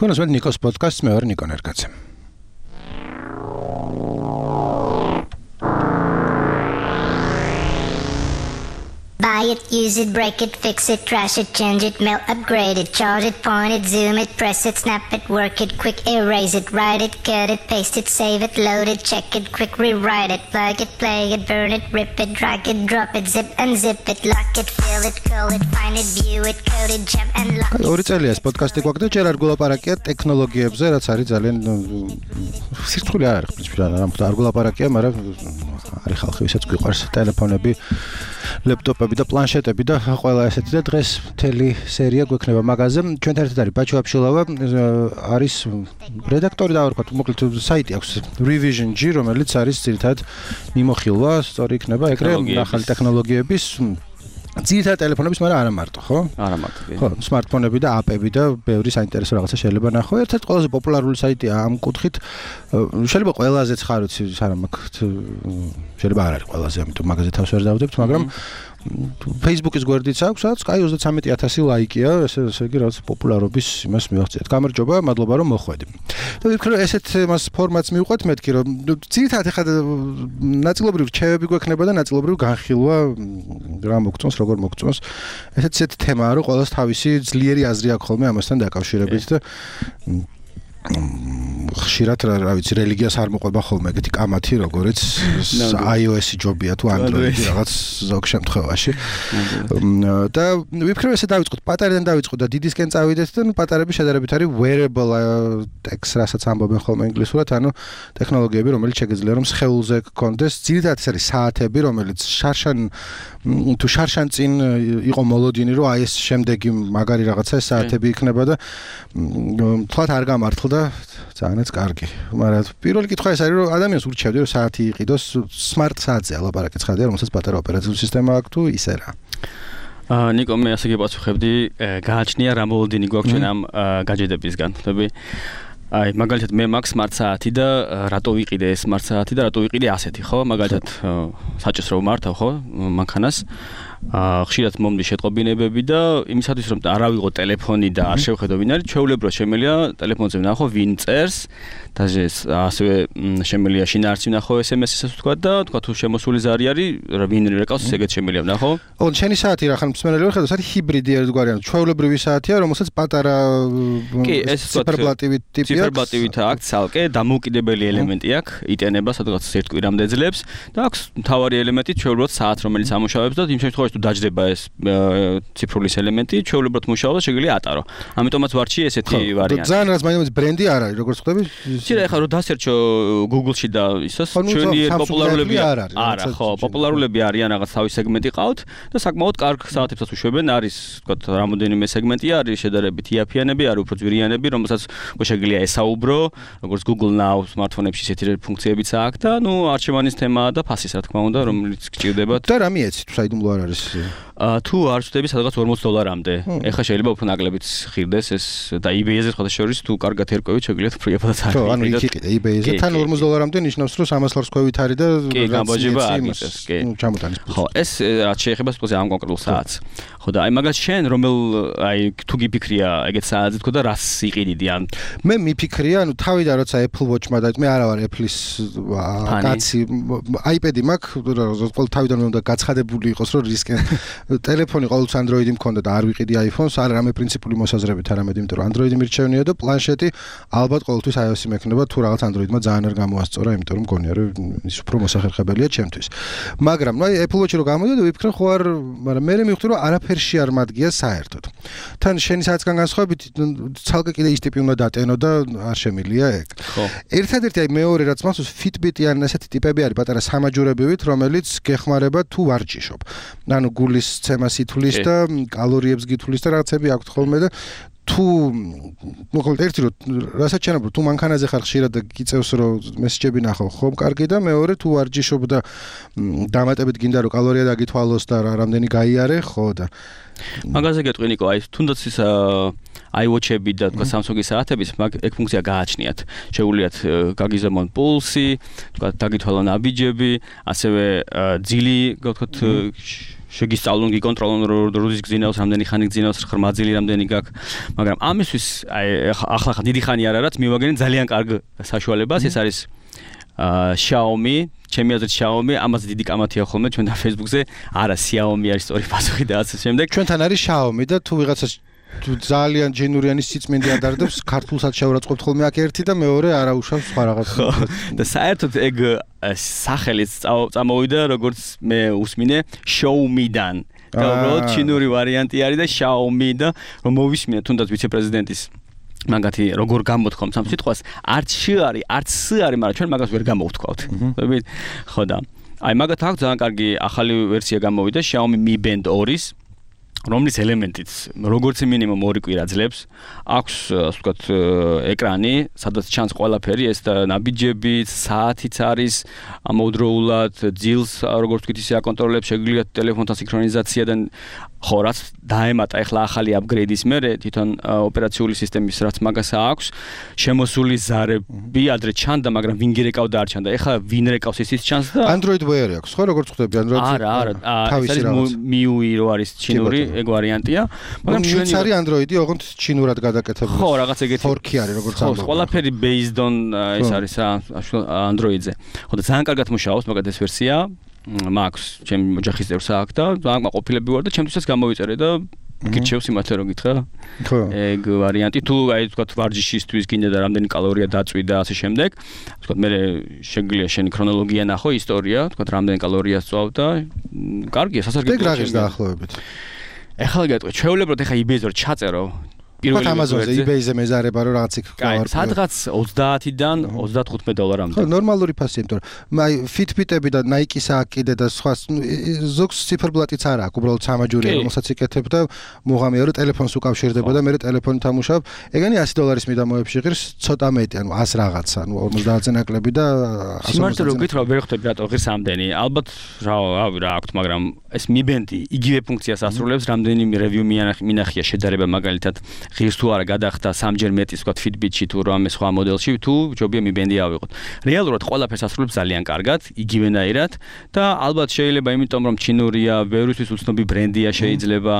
თქვენს მე ნიკოს პოდკასტს მე ვარ ნიკო ნერგაძე. Buy it, use it, break it, fix it, trash it, change it, mail, upgrade it, charge it, point it, zoom it, press it, snap it, work it, quick erase it, write it, cut it, paste it, save it, load it, check it, quick rewrite it, plug it, play it, burn it, rip it, drag it, drop it, zip unzip it, lock it, fill it, call it, find it, view it, code it, jump and lock it. ორი წელია ეს პოდკასტი გვაქვს და ჯერ არ გულაპარაკია ტექნოლოგიებზე, რაც არის ძალიან სირთულე არ არის პრინციპი, არ გულაპარაკია, მაგრამ არის ხალხი, ვისაც გვიყვარს ტელეფონები, ლეპტოპები და პლანშეტები და ყველა ესეთი და დღეს მთელი სერია გვექნება მაგაზე. ჩვენთან ერთად არის ბაჩო აფშილავა, არის რედაქტორი და ვთქვათ, მოკლედ საიტი აქვს Revision G, რომელიც არის ძირითადად მიმოხილვა, სწორი იქნება ეგრე ახალი ტექნოლოგიების ძირითადად ტელეფონების, მაგრამ არა მარტო, ხო? არა მარტო. ხო, smartphone-ები და app-ები და ბევრი საინტერესო რაღაცა შეიძლება ნახო. ერთ-ერთი ყველაზე პოპულარული საიტია ამ კუთხით. შეიძლება ყველაზე ხარუცი არა მაქვს. შეიძლება არ არის ყველაზე, ამიტომ მაგაზე თავს ვერ დავდებთ, მაგრამ Facebook-ის გვერდიც აქვს, სადაც კაი 33000 ლაიკია, ესე იგი რაღაც პოპულარობის იმას მივაღწიეთ. გამარჯობა, მადლობა რომ მოხვედი. და ვიფიქრე რომ ესეთ მას ფორმატს მივყვეთ მეთქი რომ ძირითადად ეხლა ნაწილობრივ რჩევები გვექნება და ნაწილობრივ განხილვა რა მოგწონს, როგორ მოგწონს. ესეთი თემაა რომ ყველას თავისი ძლიერი აზრი აქვს ხოლმე ამასთან დაკავშირებით და ხშირად რა ვიცი რელიგიას არ მოყვება ხოლმე ეგეთი კამათი როგორც iOS-ი ჯობია თუ Android-ი რაღაც ზოგ შემთხვევაში და ვიფიქრე ესე დავიწყოთ პატარიდან დავიწყოთ და დიდისკენ წავიდეთ და პატარები შედარებით არის wearable tech რასაც ამბობენ ხოლმე ინგლისურად ანუ ტექნოლოგიები რომელიც შეგიძლია რომ სხეულზე გქონდეს ძირითადად ეს არის საათები რომელიც შარშან წინ იყო მოლოდინი რომ აი ეს შემდეგი მაგარი რაღაცა ეს საათები იქნება და თქვათ არ გამართლდა და ძალიან კარგი. მაგრამ პირველი კითხვა ეს არის რომ ადამიანს ურჩევდი რომ საათი იყიდოს smart საათზე ლაპარაკი ცხადია რომელსაც პატარა ოპერაციული სისტემა აქვს თუ ისე რა. ნიკო მე ასე გიპასუხებდი გააჩნია რა მოლოდინი გვაქვს ჩვენ ამ გაჯედებისგან. ხდები აი მაგალითად მე მაქვს smart საათი და რატო ვიყიდე ეს smart საათი და რატო ვიყიდე ასეთი ხო? მაგალითად საჭირს რომ მართავ ხო მანქანას ხშირად მომდის შეტყობინებები და იმისათვის რომ არ ავიღო ტელეფონი და არ შევხედო ვინ არის ჩვეულებრივ შემელია ტელეფონზე ვნახო ვინ წერს და ასევე შემელია შინაარსი ვნახო SMS-საც ვთქვა და თქვა თუ შემოსული ზარი არის ვინ რეკავს ეგეც შემელია ვნახო. ო შენი საათი რა ხან მსმენელი ვერ ხედავს არის ჰიბრიდი ერთგვარი ანუ ჩვეულებრივი საათია რომელსაც პატარა ციფერბლატივი ტიპი აქვს ციფერბლატივით აქვს ცალკე დამოუკიდებელი ელემენტი აქვს იტენება სადღაც ერთ კვირამდე ძლებს და აქვს მთავარი ელემენტი ჩვეულებრივ საათ რომელიც ამუშავებს და იმ შემთხვევაში თუ დაждდება ეს ციფრულის ელემენტი ჩვეულებრივ მუშაობს და შეგვიძლია ატარო. ამიტომაც ვარჩი ესეთი ვარიანტი. ძალიან რაც მაინც ბრენდი არ არის როგორც ხვდები? შეიძლება ეხლა რომ დასერჩო Google-ში და ისოს ჩვენი პოპულარულები არა ხო პოპულარულები არიან რაღაც თავის სეგმენტი ყავთ და საკმაოდ კარგ საათებსაც უშვებენ არის თქვა რამოდენიმე სეგმენტი არის შედარებით იაფიანები არის უფრო ძვირიანები რომელსაც შეგვიძლია ესაუბრო როგორც Google Now smartphone-ებში ესეთი ფუნქციებიც აქვს და ნუ არჩევანის თემაა და ფასის რა თქმა უნდა რომელიც გჭირდებათ და რა მიეცი თუ საიდუმლო არ არის თუ არ ვწდები სადღაც $40-მდე. ეხლა შეიძლება უფრო ნაკლებიც ხირდეს ეს და eBay-ზე ხოთა შორის თუ კარგად ერკვევით შეგიძლიათ ფრიებადაც არის. ხო, ანუ იქ იყიდე eBay-ზე თან $40-მდე ნიშნავს რომ $300 ქვევით არის და კი, გამბაჯება არის ეს, კი. ჩამოტანის. ხო, ეს რაც შეეხება სპეციალურად ამ კონკრეტულ საათს. ხო და აი მაგას შენ რომელ აი თუ გიფიქრია ეგეთ საათზე თქო და რას იყიდიდი ან მე მიფიქრია ანუ თავიდან როცა Apple Watch-მა და მე არა ვარ Apple-ის კაცი iPad-ი მაქვს ყოველ თავიდან უნდა გაცხადებული იყოს რომ რისკენ ტელეფონი ყოველთვის Android-ი მქონდა და არ ვიყიდი iPhone-ს, არა რამე პრინციპული მოსაზრებით არამედ იმიტომ რომ Android-ი მირჩევნია და პლანშეტი ალბათ ყოველთვის iOS-ი მექნება თუ რაღაც Android-მა ძალიან არ გამოასწორა, იმიტომ რომ მგონია რომ ის უფრო მოსახერხებელია ჩემთვის. მაგრამ ნუ Apple Watch-ი რო გამოდიოდა ვიფიქრე ხო არ, მაგრამ მე მივხვდი რომ არაფერში არ მადგია საერთოდ. თან შენი საათგან განსხვავებით ცალკე კიდე ის ტიპი უნდა დატენო და არ შემილია ეგ. ხო. ერთადერთი აი მეორე რაც მახსოვს Fitbit-ი ან ესეთი ტიპები არის პატარა სამაჯურებივით, რომელიც გეხმარება თუ ვარჯიშობ. ანუ გულის ცემას ითვლის და კალორიებს გითვლის და რაღაცები აქვს ხოლმე და თუ მოკლედ ერთი რომ რასაც ჩანაბ თუ მანქანაზე ხარ ხშირად და გიწევს რომ მესეჯები ნახო ხომ კარგი და მეორე თუ ვარჯიშობ და დამატებით გინდა რომ კალორია დაგითვალოს და რამდენი გაიარე ხო და მაგაზე გეტყვი ნიკო აი თუნდაც ის iWatch-ები და თქვა Samsung-ის საათების მაგ ეგ ფუნქცია გააჩნიათ. შეუძლიათ გაგიზომონ პულსი, თქვა დაგითვალონ აბიჯები, ასევე ძილი, გქოთ შეგისწავლონ, გიკონტროლონ როდის გძინავს, რამდენი ხანი გძინავს, ხმაძილი რამდენი გაქვს, მაგრამ ამისთვის ახლა დიდი ხანი არ არის, მივაგენ ძალიან კარგ საშუალებას, ეს არის Xiaomi, ჩემი აზრით Xiaomi, ამაზე დიდი კამათია ხოლმე ჩვენთან Facebook-ზე, არა Xiaomi არის სწორი პასუხი და ასე შემდეგ. ჩვენთან არის Xiaomi და თუ ვიღაცას ძალიან ჯენურიანის სიწმინდე ადარდებს, ქართულსაც შევრაცხობთ ხოლმე აქ ერთი და მეორე არაუშავს სხვა რაღაც. და საერთოდ ეგ სახელიც წამოვიდა როგორც მე უსმინე Xiaomi-დან. და უბრალოდ ჩინური ვარიანტი არის და Xiaomi და რომ მოვისმინე თუნდაც ვიცე-პრეზიდენტის მაგათი როგორ გამოთქვამ სამ სიტყვას არც შ არის, არც ს არის, მაგრამ ჩვენ მაგას ვერ გამოვთქვავთ. ხო და აი მაგათ აქვს ძალიან კარგი ახალი ვერსია გამოვიდა Xiaomi Mi Band 2-ის რომლის ელემენტიც როგორც მინიმუმ 2 კვირა ძლებს აქვს ასე ვთქვათ ეკრანი სადაც ჩანს ყველაფერი ეს და ნაბიჯები საათიც არის ამოუდროულად ძილს როგორც ვთქვით ისე აკონტროლებს შეგიძლიათ ტელეფონთან სინქრონიზაცია და ხო რაც დაემატა ახლა ახალი აპგრეიდის მერე თვითონ ოპერაციული სისტემის რაც მაგასა აქვს შემოსული ზარები ადრე ჩანდა მაგრამ ვინ გირეკავდა არ ჩანდა ეხლა ვინ რეკავს ისიც ჩანს და Android Wear აქვს ხო როგორც ხვდები Android არა ეს არის MIUI რო არის ჩინური ეგ ვარიანტია მაგრამ ჩვენი არის Android-ი ოღონდ ჩინურად გადაკეთებული ხო რაღაც ეგეთი ფორკი არის როგორც ამბობ ყველაფერი based on ეს არის Android-ზე ხო და ძალიან კარგად მუშაობს მაგათ ეს ვერსია მაქვს ჩემი ოჯახის წევრს აქვს და ძალიან ყოფილები ვარ და ჩემთვისაც გამოვიწერე და გირჩევს იმათე რომ გითხრა ხო ეგ ვარიანტი თუ აი თქვა ვარჯიშისთვის გინდა და რამდენი კალორია დაწვი და ასე შემდეგ თქვა მე შეგვიძლია შენი ქრონოლოგია ნახო ისტორია თქვა რამდენი კალორია სწავ და კარგია სასარგებლოა ეგ რაღაც დაახლოებით ეხლა გეტყვი ჩვეულებრივად ეხა eBay-ზე რომ ჩაწერო პირველი Amazon-ზე eBay-ზე მეზარება რომ რაღაც იქ გავარ სადღაც 30-დან $35-მდე ხო ნორმალური ფასია იმიტომ რომ აი Fitbit-ები და Nike-ს აქვს კიდე და სხვა ზოგს ციფერბლატიც არ აქვს უბრალოდ სამაჯურია რომელსაც იკეთებ და მუღამია რომ ტელეფონს უკავშირდება და მე ტელეფონით ამუშავებ ეგენი $100 მიდამოებში ღირს ცოტა მეტი ანუ 100 რაღაცა ანუ 50-ზე ნაკლები და სიმართლე რომ გითხრა ვერ ხვდები რატო ღირს ამდენი ალბათ რავი რა აქვს მაგრამ ეს Mi Band-ი იგივე ფუნქციას ასრულებს რამდენიმე review მინახია შედარება მაგალითად ღირს თუ არა გადახდა სამჯერ მეტის ვთქვათ Fitbit-ში თუ რამე სხვა მოდელში თუ ჯობია Mi Band-ი ავიღოთ. რეალურად ყველაფერს ასრულებს ძალიან კარგად, იგივენაირად და ალბათ შეიძლება იმიტომ რომ ჩინურია, ბევრისთვის უცნობი ბრენდია შეიძლება,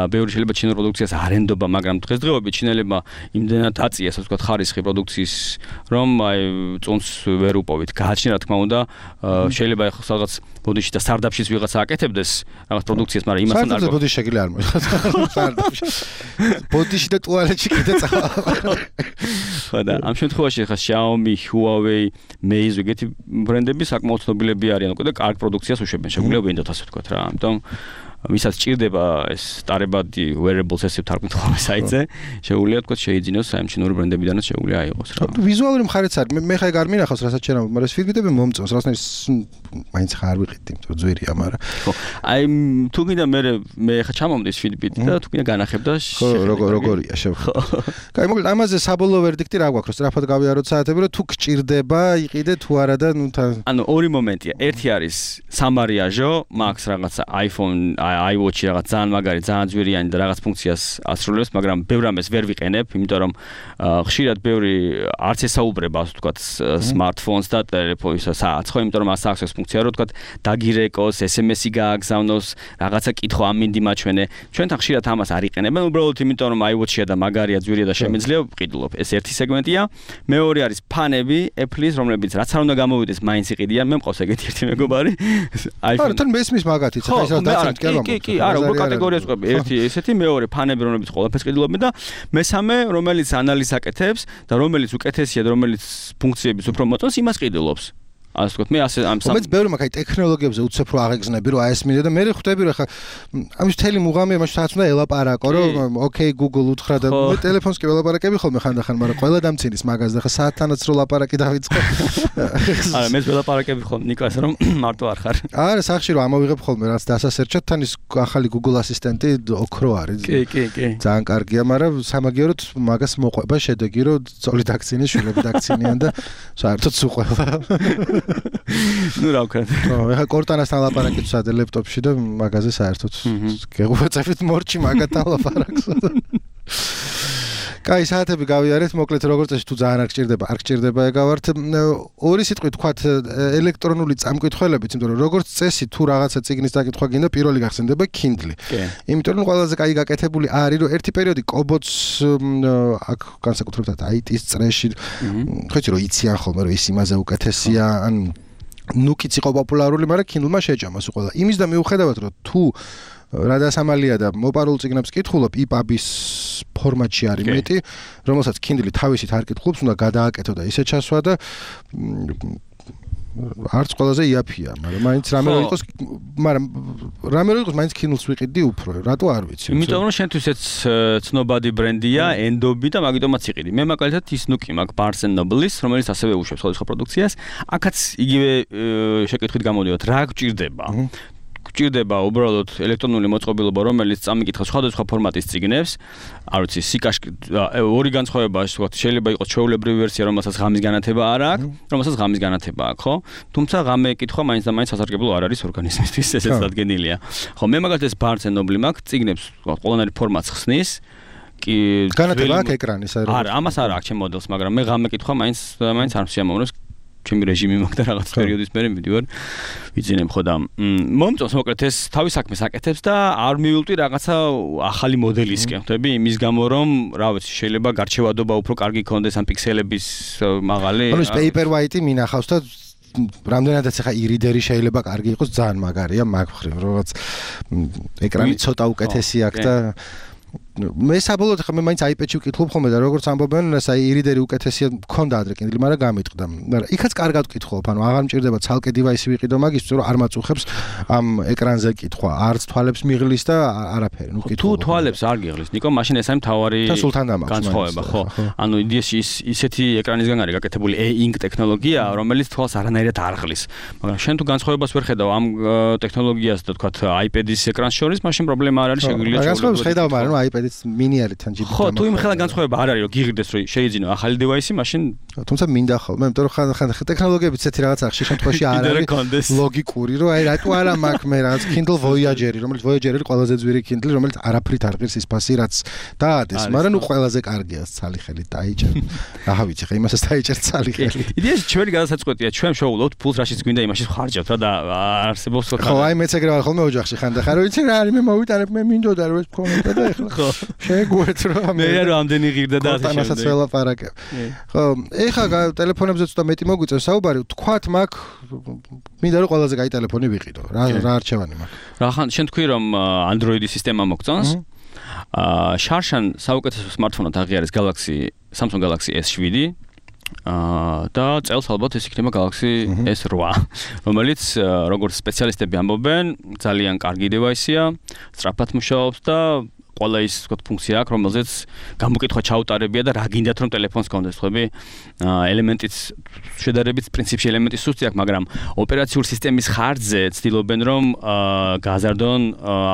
ბევრი შეიძლება ჩინურ პროდუქციას არ ენდობა, მაგრამ დღესდღეობით ჩინელებმა იმდენად აწიეს ასე ვთქვათ ხარისხი პროდუქციის რომ აი წონს ვერ უპოვით. გააჩნია რა თქმა უნდა, შეიძლება ახლა რაღაც ბოდიში და სტარტაპშიც ვიღაცა აკეთებდეს რაღაც პროდუქციას, მაგრამ იმასთან არ გქონდეს. ბოდიში შეგიძლია არ მოიხსნა. სტარტაპში. ბოდიში და ტუალეტში კიდე წავალ. ხო და ამ შემთხვევაში ხა Xiaomi, Huawei, Meizu ეგეთი ბრენდები საკმაოდ ცნობილები არიან უკვე და კარგ პროდუქციას უშვებენ. შეგვიძლია ვინდოთ ასე ვთქვათ რა. ამიტომ ვისაც ჭირდება ეს სტარებადი wearables ესე ვთარგმნით ხოლმე საიტზე, შეუძლია თქვა შეიძინოს საერთაშორისო ბრენდებიდანაც შეუძლია აიღოს რა. ვიზუალური მხარეც არის. მე ხა ეგ არ მინახავს რასაც შეიძლება, მაგრამ ეს Fitbit-ები მომწონს, რაღაცნაირ მაინც ხარ ვიყიდ, იმიტომ რომ ძვირია, მაგრამ ხო. აი თუ გინდა მე ხა ჩამომდის Fitbit და თუ გინდა განახებ და ხო როგორია შევხვდი. კაი, მოკლედ ამაზე საბოლოო ვერდიქტი რა გვაქვს, რომ სწრაფად გავიაროთ საათები, რომ თუ გჭირდება, იყიდე თუ არა და ნუ ანუ ორი მომენტია. ერთი არის სამარიაჟო, მაქვს რაღაცა iPhone iWatch-ი რაღაც ძალიან მაგარი, ძალიან ძვირიანი და რაღაც ფუნქციას ასრულებს, მაგრამ ბევრ ამას ვერ ვიყენებ, იმიტომ რომ ხშირად ბევრი არც ესაუბრება, ასე ვთქვათ, smartphones და ტელეფონს საათს, ხო, იმიტომ რომ აქვს ეს ფუნქცია, რომ ვთქვათ, დაგირეკოს, SMS-ი გააგზავნოს, რაღაცა კითხვა ამინდი მაჩვენე. ჩვენთან ხშირად ამას არ იყენებენ, უბრალოდ იმიტომ რომ iWatch-ია და მაგარია, ძვირია და შემიძლია ვყიდულობ. ეს ერთი სეგმენტია. მეორე არის ფანები, Apple-ის, რომლებიც რაც არ უნდა გამოვიდეს, მაინც იყიდიან. მე მყავს ეგეთი ერთი მეგობარი. iPhone. თან მესმის მაგათიც, ხა ის რა დაცემთ კი არა. კი, არა, უკვე კატეგორიას ყვები. ერთი ესეთი, მეორე ფანები, რომლებიც ყველაფერს ყიდულობენ და მესამე, რომელიც ანალიზს აკეთებს და რომელიც უკეთესია და რომელიც ფუნქციების უფრო მოწონს, იმას ყიდულობს. ასე ვთქვათ, მე ასე ამ მეც ბევრი მაგ აი ტექნოლოგიებზე უცებ რო აღეგზნები, რომ აესმინე და მე ხვდები რომ ხა ამის მთელი მუღამია მაშინ სადაც უნდა ელაპარაკო, რომ ოკეი Google უთხრა და მე ტელეფონს კი ველაპარაკები ხოლმე ხანდახან, მაგრამ ყველა დამცინის მაგას და ხა საათთანაც რო ლაპარაკი დავიწყო. არა, მე ველაპარაკები ხოლმე ნიკას რომ მარტო არ ხარ. არა, სახში რომ ამოვიღებ ხოლმე რაც დასასერჩად, თან ის ახალი Google ასისტენტი ოქრო არის. კი. ძალიან კარგია, მაგრამ სამაგიეროდ მაგას მოყვება შედეგი, რომ ძოლი დაქცინეს, შვილები დაქცინიან და საერთოდ სუყველა. ნუ რა ვქნა. ხო, ეხა კორტანასთან ლაპარაკით ვსადე ლეპტოპში და მაგაზე საერთოდ გეღვაწებით მორჩი მაგათან ლაპარაკს. კაი, საათები გავიარეთ, მოკლედ როგორც წესი თუ ძალიან არ გჭირდება ეგავართ. ორი სიტყვით თქვათ ელექტრონული წამკითხველებით, იმიტომ რომ როგორც წესი თუ რაღაცა წიგნის დაკითხვა გინდა, პირველი გახსენდება Kindle. იმიტომ რომ ყველაზე კაი გაკეთებული არის, რომ ერთი პერიოდი კობოც აქ განსაკუთრებულად IT-ის წრეში ხო იცი რომ იციან ხოლმე რომ ის იმაზე უკეთესია, ან ნუკიც იყო პოპულარული, მაგრამ Kindle-მა შეჭამას უყოლა. იმის და მიუხედავად რომ თუ რადასამალია და მოპარულ წიგნებს კითხულობ, EPUB-ის ფორმატში არის მეტი, რომელსაც Kindle თავისით არ კითხულობს, უნდა გადააკეთო და ისე ჩასვა და არც ყველაზე იაფია, მაგრამ მაინც რამე რო იყოს, მაინც Kindle-ს ვიყიდი უფრო, რატო არ ვიცი. იმიტომ რომ შენთვის ეს ცნობადი ბრენდია, ენდობი და მაგიტომაც იყიდი. მე მაგალითად ის ნუკი მაქვს Barnes & Noble-ის, რომელიც ასევე უშვებს სხვადასხვა პროდუქციას. აქაც იგივე შეკითხვით გამოდივართ, რა გჭირდება? გჭირდება უბრალოდ ელექტრონული მოწყობილობა, რომელიც წამიკითხავს სხვადასხვა ფორმატის წიგნებს. არ ვიცი, სიკაშკი ორი განსხვავებაა, ვთქვათ, შეიძლება იყოს ჩვეულებრივი ვერსია, რომელსაც ღამის განათება არ აქვს, რომელსაც ღამის განათება აქვს, ხო? თუმცა ღამე კითხვა მაინც და მაინც სასარგებლო არ არის ორგანიზმისთვის, ესეც დადგენილია. ხო, მე მაგალითად Barnes & Noble მაქვს, წიგნებს ყველანაირი ფორმატს ხსნის. კი, განათება აქვს ეკრანის, არა, ამას არ აქვს ჩემ მოდელს, მაგრამ მე ღამე კითხვა მაინც არ შეამოვნებს. ჩემი რეჟიმი მაქვს და რაღაც პერიოდის მერე მივიდივარ ვიძინებ ხო და მომწონს მოკლედ ეს თავის საქმეს აკეთებს და არ მივილტვი რაღაცა ახალი მოდელისკენ ხვდები იმის გამო რომ რა ვიცი შეიძლება გარჩევადობა უფრო კარგი ქონდეს ან პიქსელების მაღალი ანუ ეს paper white-ი მინახავს და რამდენადაც ახლა ირიდერი შეიძლება კარგი იყოს ძალიან მაგარია მაგ მხრივ რაღაც ეკრანი ცოტა უკეთესი აქვს და მე საბოლოოდ ხა მე მაინც iPad-ში ვკითხულობ ხოლმე და როგორც ამბობენ, აი ირიდერი უკეთესია მქონდა ადრე Kindle, მაგრამ გამიტყდა. მაგრამ იქაც კარგად ვკითხულობ, ანუ აღარ მჭირდება ცალკე device-ი ვიყიდო მაგისთვის, რომ არ მაწუხებს ამ ეკრანზე კითხვა, არც თვალებს მიღლის და არაფერი, ნუ კითხულობ. თუ თვალებს არ გიღლის, ნიკო, მაშინ ეს არის მთავარი განსხვავება, ხო? ანუ იდეაში ისეთი ეკრანისგან არის გაკეთებული e-ink ტექნოლოგია, რომელიც თვალს არანაირად არ ღლის. მაგრამ შენ თუ განსხვავებას ვერ ხედავ ამ ტექნოლოგიას და თქვათ iPad-ის ეკრანს შორის, მაშინ პრობლემა არ არის, შეგვიძლია განსხვავებას ხედავ, მაგრამ iPad-იც მინი არის თან ჯიბი. ხო, თუ იმ ხელა განსხვავება არ არის, რომ გიღირდეს, რომ შეიძინო ახალი device-ი, მაშინ თუმცა მინდა ხოლმე, იმიტომ რომ ხან ტექნოლოგიებიც ესეთი რაღაცა ხშირ შემთხვევაში არ არის ლოგიკური, რომ აი რატო არა მაქვს მე რაღაც Kindle Voyager-ი, რომელიც Voyager-ი ყველაზე ძვირი Kindle, რომელიც არაფრით არ ღირს ის ფასი, რაც დაადეს, მაგრამ ნუ ყველაზე კარგია ცალი ხელით დაიჭერ. აჰა ვიცი, ხა იმასაც დაიჭერ ცალი ხელით. იდეაში ჩვენი გადასაწყვეტია, ჩვენ შევულობთ ფულს რაშიც გვინდა იმაში ხარჯავთ რა და არსებობს ხო, აი მეც ეგრე ვარ ხოლმე ოჯახში ხანდახან, რომ ვიცი რა არის, მე მოვიტანებ, მე მინდოდა რომ ეს მქონოდა და ეხლა ხო შეგვეთ რომ მე რამდენი ღირდა და ასე ამასაც ველაპარაკებ. ხო, ეხლა ტელეფონებზე ცოტა მეტი მოგვიწევს საუბარი, თქვათ მაგ მინდა რომ ყველაზე კაი ტელეფონი ვიყიდო. რა არჩევანი მაქვს? რა ხან შენ თქვი რომ Android-ის სისტემა მოგწონს? შარშან საუკეთესო smartphone-ად აღიარეს Samsung Galaxy S7 და წელს ალბათ ეს იქნება Galaxy S8, რომელიც როგორც სპეციალისტები ამბობენ, ძალიან კარგი device-ია, სწრაფად მუშაობს და ყველა ის ვთქვათ ფუნქცია აქვს, რომელზეც გამოკითხვა ჩაუტარებია და რა გინდათ რომ ტელეფონს გქონდეს, ხვდები? ელემენტიც შედარებით პრინციპში ელემენტი სუსტი აქვს, მაგრამ ოპერაციული სისტემის ხარჯზე ცდილობენ რომ გააზარდონ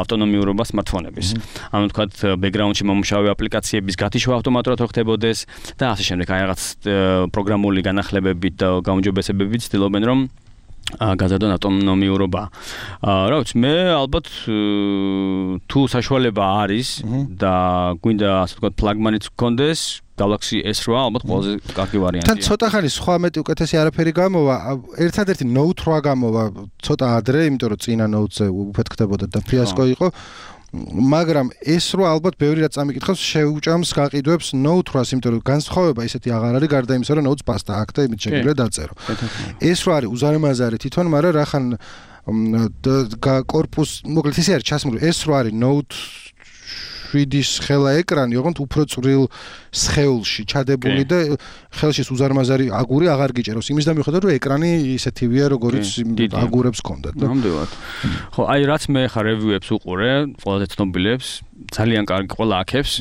ავტონომიურობა smartphone-ების. ანუ ვთქვათ background-ში მომუშავე აპლიკაციების გათიშვა ავტომატურად რო ხდებოდეს და ასე შემდეგ, აი რაღაც პროგრამული განახლებებით და გაუმჯობესებებით ცდილობენ რომ გაზარდონ ავტონომიურობა. რა ვიცი, მე ალბათ თუ საშუალება არის და გვინდა ასე ვთქვათ ფლაგმანიც გქონდეს, Galaxy S8 ალბათ ყველაზე კარგი ვარიანტია. თან ცოტა ხანი სხვა მეტი უკეთესი არაფერი გამოვა, ერთადერთი Note 8 გამოვა ცოტა ადრე, იმიტომ რომ წინა Note-ზე უფეთქდებოდა და ფიასკო იყო. მაგრამ S8 ალბათ ბევრი რაც წამიკითხავს შეუჭამს გაყიდვებს Note 8-ს, იმიტომ რომ განსხვავება ისეთი აღარ არის გარდა იმისა, რომ Note-ს პასტა აქვს და იმით შეგვიძლია დაწერო. S8 არის უზარმაზარი თვითონ, მაგრამ რახან კორპუს, მოკლედ ისე არის ჩასმული. S8 არის Note 3D-ის ხელა ეკრანი, ოღონდ უფრო წვრილ სხეულში ჩადებული და ხელში უზარმაზარი აგური აღარ გიჭერავს. იმის და მიუხედავად რომ ეკრანი ისეთივეა, როგორიც აგურებს ჰქონდათ. ნამდვილად. ხო, აი რაც მე ხა რევიუებს უყურე, ყველაზე ცნობილებს, ძალიან კარგი ყველა აქებს.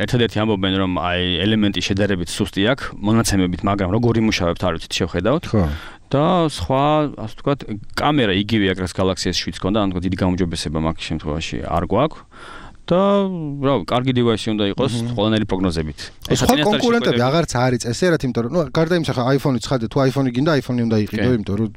ერთადერთი ამბობენ რომ აი ელემენტი შედარებით სუსტი აქვს, მონაცემებით, მაგრამ როგორ იმუშავებთ არ ვიცით შევხედავთ. ხო. და სხვა, ასე ვთქვათ, კამერა იგივე აქვს Galaxy S7-ს ჰქონდა, ანუ დიდი გაუმჯობესება მაგ შემთხვევაში არ გვაქვს. და რა კარგი device უნდა იყოს ყველანაირი პროგნოზებით. სხვა კონკურენტები აღარც არის წესერად, იმიტომ რომ გარდა იმისა ხა iPhone-იც ხადე, თუ iPhone-ი გინდა iPhone-ი უნდა იყიდო, იმიტომ რომ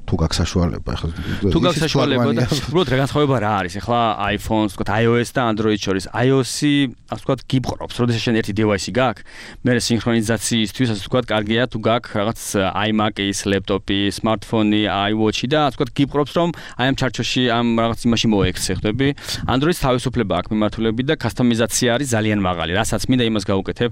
თუ გაქვს საშუალება ხა. თუ გაქვს საშუალება და უბრალოდ რა განსხვავება რა არის? ახლა iPhone-ს, ვთქვათ, iOS და Android შორის. iOS-ი, ასე ვთქვათ, გიბყრობს, როდესაც შენ ერთი device-ი გაქვს, მე სინქრონიზაციისთვის, ასე ვთქვათ, კარგია თუ გაქვს რაღაც iMac-ის, laptop-ი, smartphone-ი, iWatch-ი და ასე ვთქვათ, გიბყრობს, რომ აი ამ ჩარჩოში ამ რაღაც იმაში მოექცე, ხვდები? Android-ს თავისუფლება აქვს მიმართულებით და customization არის ძალიან მაღალი. რასაც მინდა იმას გავუკეთებ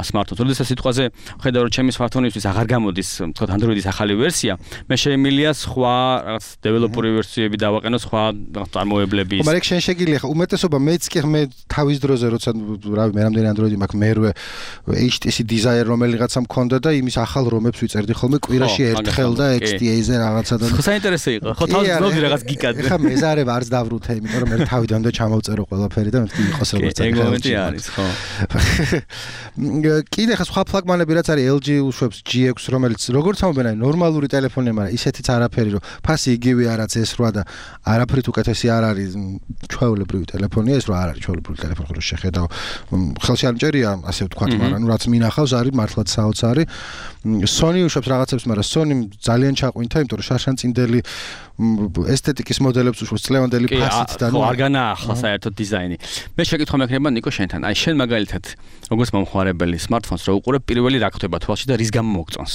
smartphone-ს. როდესაც სიტყვაზე ხედავ რომ ჩემი smartphone-ისთვის აღარ გამოდის, ვთქვათ, Android-ის ახალი ვერსია, მე შემიძლია სხვა რაღაც developer ვერსიები დავაყენო, სხვა წარმოებლების. მაგრამ შენ შეგიძლია ხა უმეტესობა მეც კი მე თავის დროზე როცა რავი მე რამდენი Android-ი მაქვს მერვე HTC Desire რომელიღაცა მქონდა და იმის ახალ რომებს ვიწერდი ხოლმე კვირაში ერთხელ და XDA-ზე რაღაცა და ხო საინტერესო იყო. ხო თავის ძნობდი რაღაც გიკად. ხა მეზარება არც დავრუთე, იმიტომ რომ მე თავიდან და ჩამოვწერო ყველაფერი და მეთქი იყოს როგორც ეგ მომენტი არის, ხო. კიდე ხა სხვა ფლაგმანები რაც არის LG უშვებს G6 რომელიც როგორც ამბობენ აი ნორმალური ტელეფონია, მაგრამ ისეთიც არაფერი რომ ფასი იგივე არაც S8 და არაფრით უკეთესი არ არის ჩვეულებრივი ტელეფონია, ეს რა არ არის ჩვეულებრივი ტელეფონი, ხო შეხედავ ხელში არ მჭერია ასე ვთქვათ, მაგრამ ნუ რაც მინახავს არის მართლაც საოცარი. Sony უშვებს რაღაცებს, მაგრამ Sony ძალიან ჩაყვინთა, იმიტომ რომ შარშანწინდელი ესთეტიკის მოდელებს უშვებს წლევანდელი ფასით და ნუ არ განაახლა საერთოდ დიზაინი. მე შეკითხვა მექნება ნიკო შენთან. აი შენ მაგალითად როგორც მომხმარებელი smartphones რო უყურებ, პირველი რა ხდება თვალში და რის გამო მოგწონს?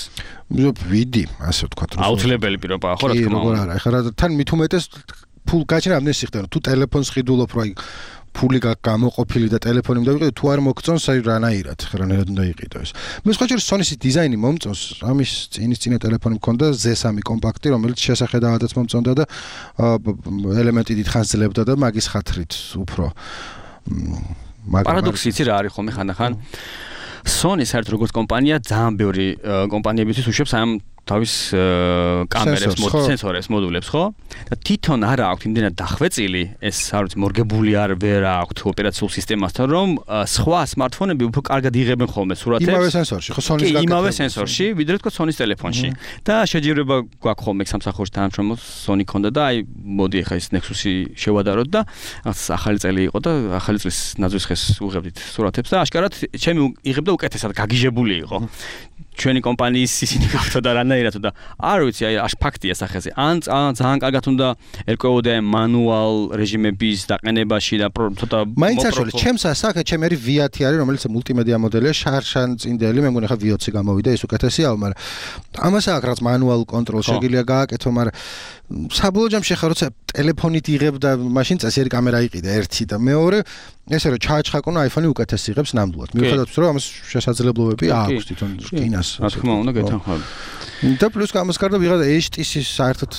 ვიდი, ასე ვთქვათ, რომ აუცილებელი პირობაა, ხო რა თქმა უნდა. არა, ეხლა თან მით უმეტეს ფულ გაჩენა ამდენი სიხდება, თუ ტელეფონს ხიდულობ, რა ფული გამოყოფილი და ტელეფონი უნდა ვიყიდო, თუ არ მოგწონს, აი რანაირად, რანაირად უნდა იყიდო ეს. მე სხვა შორის Sony-ის დიზაინი მომწონს, ამის წინა ტელეფონი მქონდა Z3 კომპაქტი, რომელიც შესახედავადაც მომწონდა და ელემენტი დიდხანს ძლებდა და მაგის ხათრით უფრო პარადოქსი იცი რა არის ხოლმე ხანდახან Sony საერთოდ როგორც კომპანია ძალიან ბევრი კომპანიებისთვის უშვებს ამ თავის კამერებს, სენსორებს, მოდულებს, ხო? და თვითონ არ აქვს იმდენად დახვეწილი, ეს არ ვიცი, მორგებული არ ვერ აქვს ოპერაციულ სისტემასთან, რომ სხვა smartphone-ები უფრო კარგად იღებენ ხოლმე სურათებს. იმავე სენსორში, ხო, Sony-ს გაკეთებული. იმავე სენსორში, ვიდრე თქო Sony-ს ტელეფონში. და შეჯიბრება გვაქვს ხოლმე სამსახურში თანამშრომლობს Sony ქონდა და აი მოდი ახლა ეს Nexus-ი შევადაროთ და ახალი წელი იყო და ახალი წლის ნაძვის ხეს უღებდით სურათებს და აშკარად ჩემი იღებდა უკეთესად გაგიჟებული იყო. ჩვენი კომპანიის ისინი გავთო და რანაირად და არ ვიცი აი აშ ფაქტია სახეზე ან ძალიან კარგად უნდა ერკვეოდა მანუალ რეჟიმების დაყენებაში და ცოტა მაინც არშოლის ჩემს ასაკე ჩემი არის V10 არის რომელიც მულტიმედია მოდელია შარშანწინდელი მე მგონი ხა V20 გამოვიდა ეს უკეთესია მაგრამ ამას აქვს რაც მანუალ კონტროლ შეგიძლია გააკეთო მაგრამ საბოლოო ჯამში ხა როცა ტელეფონით იღებ და მაშინ წესიერი კამერა იყიდა ერთი და მეორე ესე რომ ჩააჩხაკონ iPhone-ი უკეთეს იღებს ნამდვილად მიუხედავად რომ ამას შესაძლებლობები აქვს თვითონ რკინას რა თქმა უნდა გეთანხმები და პლუს ამას გარდა ვიღაცა HTC-ს საერთოდ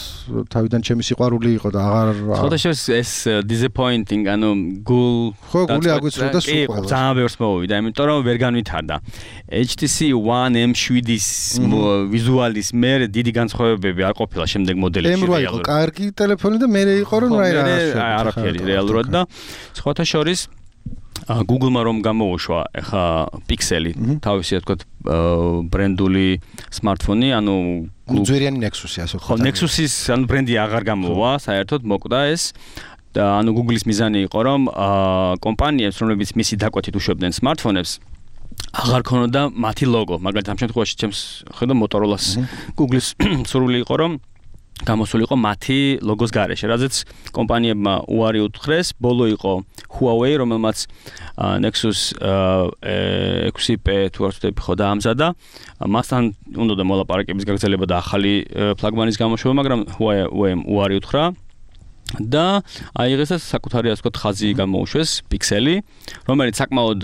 თავიდან ჩემი სიყვარული იყო და აღარ ხოდაშეს ეს disappointing ანუ გული აგვიწრა და სულ ყველა ძალიან ბევრს მოვიდა იმიტომ რომ ვერ განვითარდა HTC One M7-ის ვიზუალის მე დიდი განსხვავებები არ ყოფილა შემდეგ მოდელებში M8 იყო კარგი ტელეფონი და მე იყო რომ არაფერი რეალურად და სხვათა შორის Google-მა რომ გამოუშვა ახლა Pixel-ი თავისი თქვა ბრენდული smartphone-ი ანუ ძვირიანი Nexus-ი ასე ხო Nexus-ის ანუ ბრენდი აღარ გამოვა საერთოდ მოკვდა ეს და ანუ Google-ის მიზანი იყო რომ კომპანიებს რომლებიც მისი დაკვეთით უშვებდნენ smartphone-ებს აღარ ქონოდა მათი ლოგო მაგალითად ამ შემთხვევაში ჩემს ხედავ Motorola-ს Google-ის სურვილი იყო რომ გამოსულიყო მათი ლოგოს გარეშე, რადგან კომპანიებმა უარი უთხრეს, ბოლო იყო Huawei, რომელმაც Nexus 6P თუ არ ვთქვი ხო დაამზადა. მასთან უნდა მოლაპარაკების გაგრძელება და ახალი ფლაგმანის გამოშვება, მაგრამ Huawei-მ უარი უთხრა. და აიღეს საკუთარი ასე ვთქვათ ხაზი გამოუშვეს Pixel-ი, რომელიც საკმაოდ